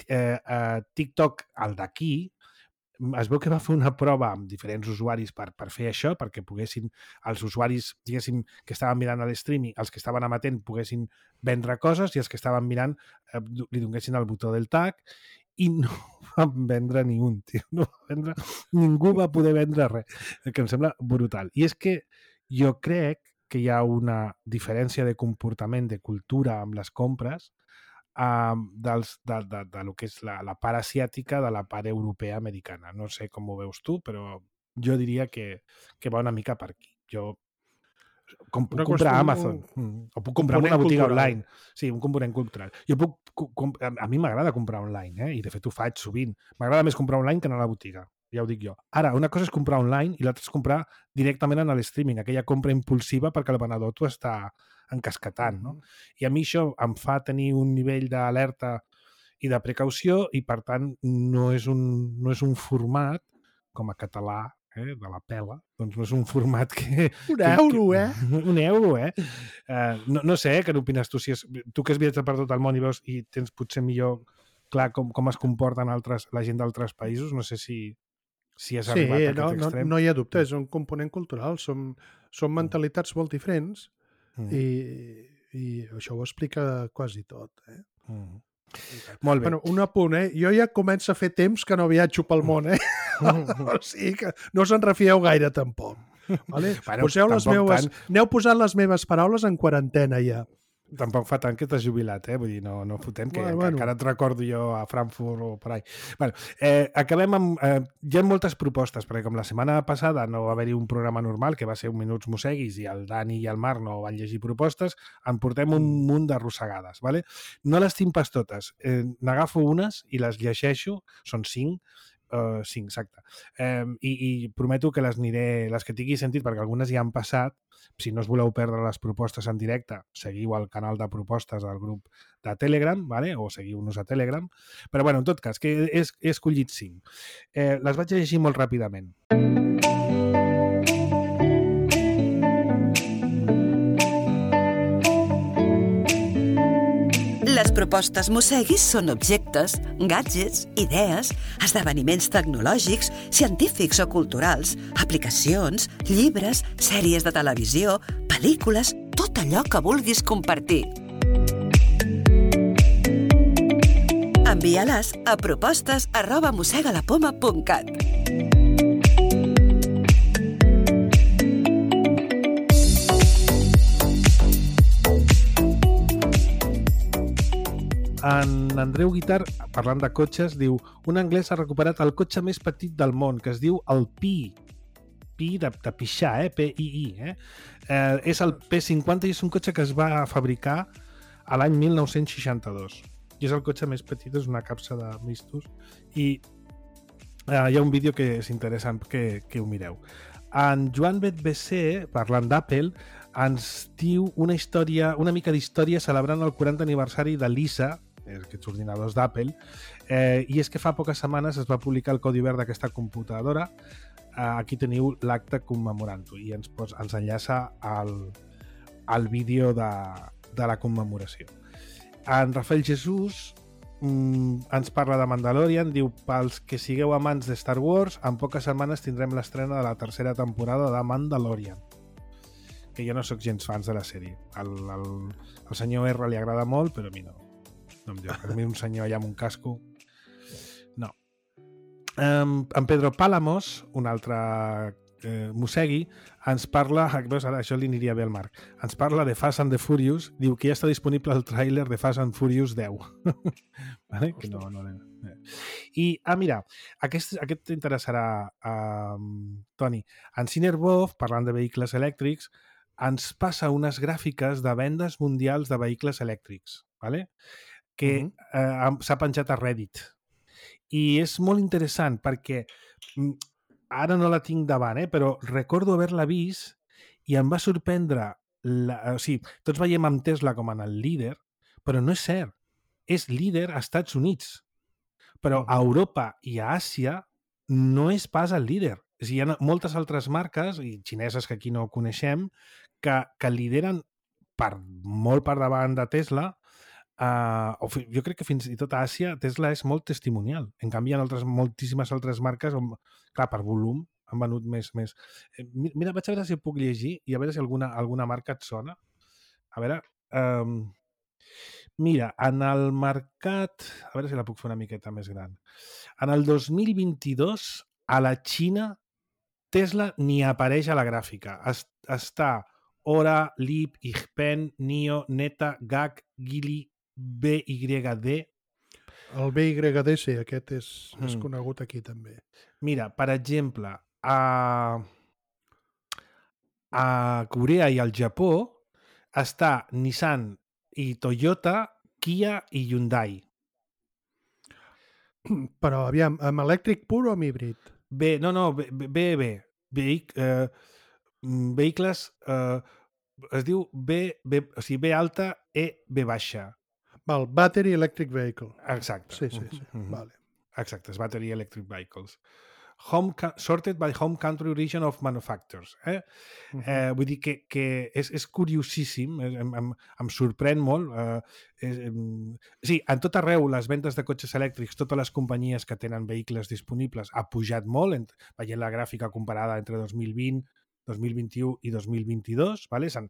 TikTok, el d'aquí, es veu que va fer una prova amb diferents usuaris per fer això, perquè poguessin els usuaris, diguéssim, que estaven mirant a l'streaming, els que estaven amatent poguessin vendre coses i els que estaven mirant li donessin el botó del tag i no van vendre ni un, tio. Ningú va poder vendre res, que em sembla brutal. I és que jo crec que hi ha una diferència de comportament, de cultura amb les compres, de lo que és la part asiàtica de la part europea americana. No sé com ho veus tu, però jo diria que va una mica per aquí. Jo puc comprar a Amazon o puc comprar en una botiga online. Sí, un component cultural. A mi m'agrada comprar online, i de fet ho faig sovint. M'agrada més comprar online que anar a la botiga, ja ho dic jo. Ara, una cosa és comprar online i l'altra és comprar directament en l'streaming, aquella compra impulsiva perquè el venedor t'ho està encasquetant, no? I a mi això em fa tenir un nivell d'alerta i de precaució i, per tant, no és un format, com a català, de la pela, doncs no és un format que... Un euro, No sé, què n'opines tu? Tu que has viatjat per tot el món i veus i tens potser millor clar com es comporten la gent d'altres països, no sé si has arribat a aquest extrem. No hi ha dubte, és un component cultural. Són mentalitats molt diferents i això ho explica quasi tot. Molt bé. Bueno, un apunt, jo ja començo a fer temps que no viatjo pel món, o sigui que no se'n refieu gaire tampoc. Vale? Aneu posant les meves paraules en quarantena ja. Tampoc fa tant que t'has jubilat, Vull dir, no fotem, que encara et recordo jo a Frankfurt o per ahí. Bueno, acabem amb... hi ha moltes propostes, perquè com la setmana passada no va haver-hi un programa normal, que va ser un Minuts Mosseguis, i el Dani i el Marc no van llegir propostes, en portem un munt d'arrossegades, ¿vale? No les tinc pas totes. N'agafo unes i les llegeixo, són 5, 5, exacte. I prometo que les que tingui sentit, perquè algunes ja han passat. Si no us voleu perdre les propostes en directe, seguiu el canal de propostes del grup de Telegram, ¿vale? O seguiu-nos a Telegram. Però, bueno, en tot cas, que he escollit 5. Les vaig llegir molt ràpidament. Les propostes Mosseguis són objectes, gadgets, idees, esdeveniments tecnològics, científics o culturals, aplicacions, llibres, sèries de televisió, pel·lícules, tot allò que vulguis compartir. Envia-les a propostes@mossegalapoma.cat. En Andreu Guitar, parlant de cotxes, diu: un anglès ha recuperat el cotxe més petit del món, que es diu el Pi. Pi de pixar, P-I-I. És el P50 i és un cotxe que es va fabricar a l'any 1962. I és el cotxe més petit, és una capsa de mistos. I hi ha un vídeo que és interessant que ho mireu. En Joan BC, parlant d'Apple, ens diu una mica d'història celebrant el 40 aniversari de l'ISA, aquests ordinadors d'Apple, i és que fa poques setmanes es va publicar el codi obert d'aquesta computadora. Aquí teniu l'acte commemorant-ho i ens enllaça al vídeo de la commemoració. En Rafael Jesús ens parla de Mandalorian, diu: pels que sigueu amants de Star Wars, en poques setmanes tindrem l'estrena de la tercera temporada de Mandalorian, que jo no sóc gens fans de la sèrie. Al senyor R li agrada molt, però a mi no em diu. Per mi un senyor allà amb un casco no. En Pedro Pálamos, un altre Mossegui, ens parla, veus, ara això li aniria bé al Marc, ens parla de Fast and the Furious, diu que ja està disponible el tràiler de Fast and Furious 10. Vale? Que no. I, mira, aquest t'interessarà, Toni. En Cinerbov, parlant de vehicles elèctrics, ens passa unes gràfiques de vendes mundials de vehicles elèctrics, vale? Que s'ha penjat a Reddit. I és molt interessant perquè ara no la tinc davant, però recordo haver-la vist i em va sorprendre. O sigui, tots veiem amb Tesla com en el líder, però no és cert. És líder a Estats Units. Però a Europa i a Àsia no és pas el líder. És a dir, hi ha moltes altres marques, i xineses que aquí no coneixem, que lideren molt per davant de Tesla. Jo crec que fins i tot a Àsia Tesla és molt testimonial. En canvi, hi ha moltíssimes altres marques on, clar, per volum han venut més. Mira, vaig a veure si puc llegir i a veure si alguna marca et sona. A veure... Mira, en el mercat... A veure si la puc fer una miqueta més gran. En el 2022, a la Xina, Tesla ni apareix a la gràfica. Està Ora, Leap, Xpeng, Nio, Neta, GAC, Geely, BYD. El BYD, sí, aquest és conegut aquí també. Mira, per exemple, a Corea i al Japó està Nissan i Toyota, Kia i Hyundai. Però, aviam, amb elèctric pur o amb híbrid? B. Vehicles... es diu B alta, E, B baixa. Val, Battery Electric Vehicle. Exacte. Sí. Vale. Exacte, és Battery Electric Vehicles. Sorted by Home Country Region of Manufacturers. Vull dir que és curiosíssim, em sorprèn molt. Sí, en tot arreu, les ventes de cotxes elèctrics, totes les companyies que tenen vehicles disponibles, ha pujat molt, veient la gràfica comparada entre 2020, 2021 i 2022, vale? S'han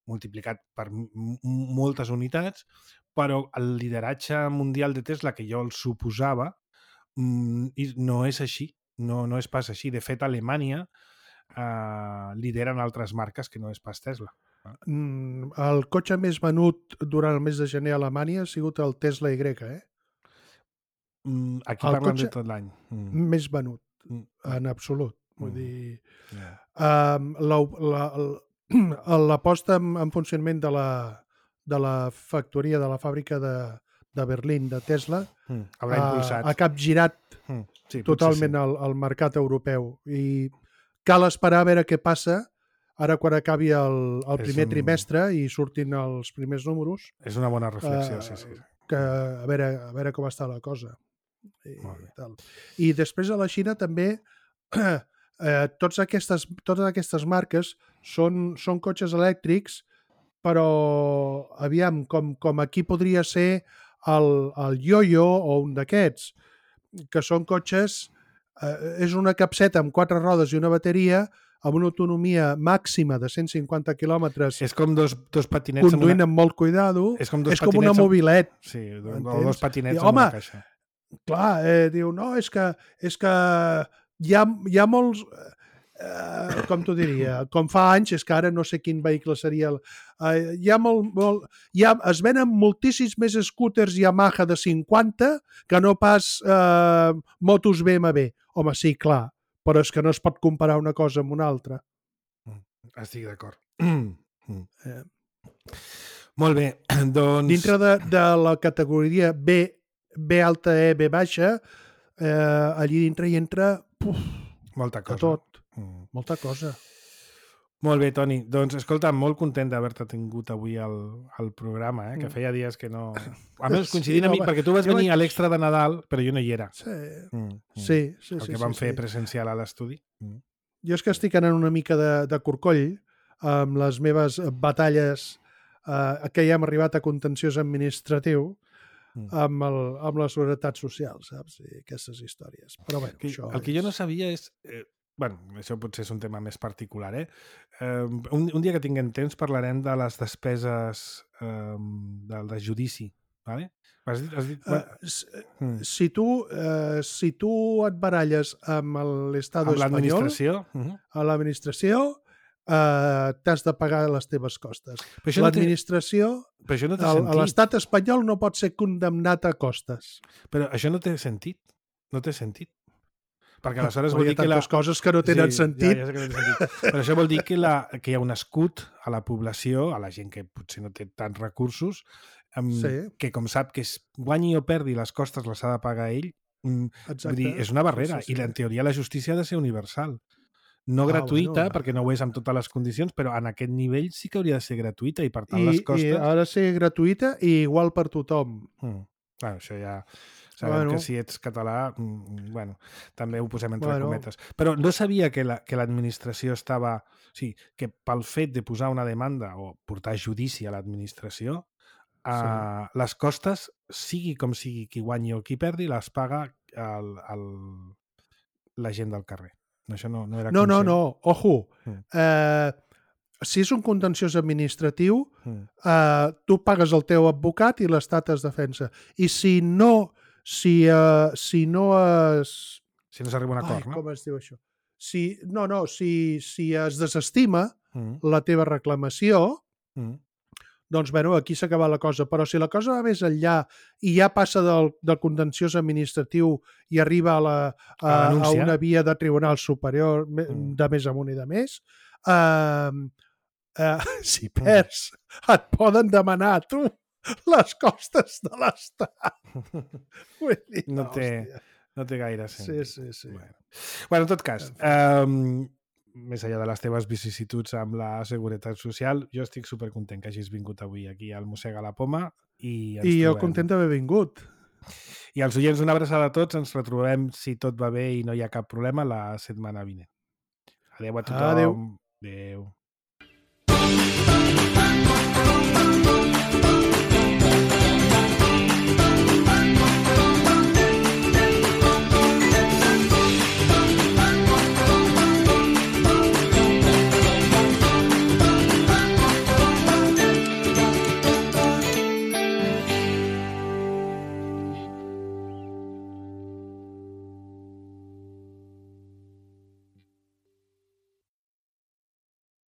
multiplicat per moltes unitats, però el lideratge mundial de Tesla, que jo el suposava, no és així. No és pas així. De fet, a Alemanya lideren altres marques que no és pas Tesla. El cotxe més venut durant el mes de gener a Alemanya ha sigut el Tesla Y, Aquí parlen de tot l'any. Més venut, en absolut. Vull dir... La posta en funcionament de la factoria, de la fàbrica de Berlín, de Tesla, ha capgirat totalment el mercat europeu. I cal esperar a veure què passa ara quan acabi el primer trimestre i surtin els primers números. És una bona reflexió, sí. Que a veure com està la cosa. I després a la Xina també totes aquestes marques són cotxes elèctrics, però aviam, com aquí podria ser el Yoyo o un d'aquests, que són cotxes, és una capseta amb 4 rodes i una bateria amb una autonomia màxima de 150 quilòmetres. És com dos patinets conduint amb molt cuidado. És com una mobilet. Sí, o dos patinets amb una caixa. Clar, diu, no, és que hi ha molts... com t'ho diria? Com fa anys, és que ara no sé quin vehicle seria... es venen moltíssims més scooters Yamaha de 50 que no pas motos BMW. Home, sí, clar, però és que no es pot comparar una cosa amb una altra. Estic d'acord. Molt bé, doncs... Dintre de la categoria B alta, E, B baixa, allí dintre hi entra molta cosa. Tot. Molta cosa. Molt bé, Toni. Doncs, escolta, molt content d'haver-te tingut avui al programa, que feia dies que no... A més, coincidint amb mi, perquè tu vas venir a l'extra de Nadal, però jo no hi era. Sí. El que vam fer presencial a l'estudi. Jo és que estic anant una mica de corcoll amb les meves batalles que ja hem arribat a contenciós administratiu amb la seguretat social, saps? I aquestes històries. Però bé, el que jo no sabia és... això potser és un tema més particular, un dia que tinguem temps parlarem de les despeses de judici, vale? Has dit... Si tu et baralles amb l'Estado espanyol, a l'administració, t'has de pagar les teves costes. L'administració, a l'estat espanyol no pot ser condemnat a costes. Però això no té sentit. No té sentit. Perquè aleshores vol dir que... Hi ha tantes coses que no tenen sentit. Ja sé que no té sentit. Però això vol dir que hi ha un escut a la població, a la gent que potser no té tants recursos, que com sap que guanyi o perdi les costes les ha de pagar ell. Vull dir, és una barrera. I en teoria la justícia ha de ser universal. No gratuïta, perquè no ho és amb totes les condicions, però en aquest nivell sí que hauria de ser gratuïta i per tant les costes... I ha de ser gratuïta i igual per tothom. Això ja... Sabem que si ets català, també ho posem entre cometes. Però no sabia que l'administració estava... O sigui, que pel fet de posar una demanda o portar judici a l'administració, les costes, sigui com sigui qui guanyi o qui perdi, les paga la gent del carrer. Això no era conscient. No, ojo. Si és un contenciós administratiu, tu pagues el teu advocat i l'Estat es defensa. I si no s'arriba a un acord, no? Com es diu això? Si es desestima la teva reclamació, doncs, aquí s'ha acabat la cosa. Però si la cosa va més enllà i ja passa del contenciós administratiu i arriba a una via de tribunal superior de més amunt i de més, si perds, et poden demanar a tu les costes de l'Estat. No té gaire sentit. Sí. Bueno, en tot cas, més enllà de les teves vicissituds amb la seguretat social, jo estic supercontent que hagis vingut avui aquí al Mossega la Poma i jo content d'haver vingut. I als oients, una abraçada a tots. Ens retrobem, si tot va bé i no hi ha cap problema, la setmana vinent. Adéu a tothom. Adéu. Adéu.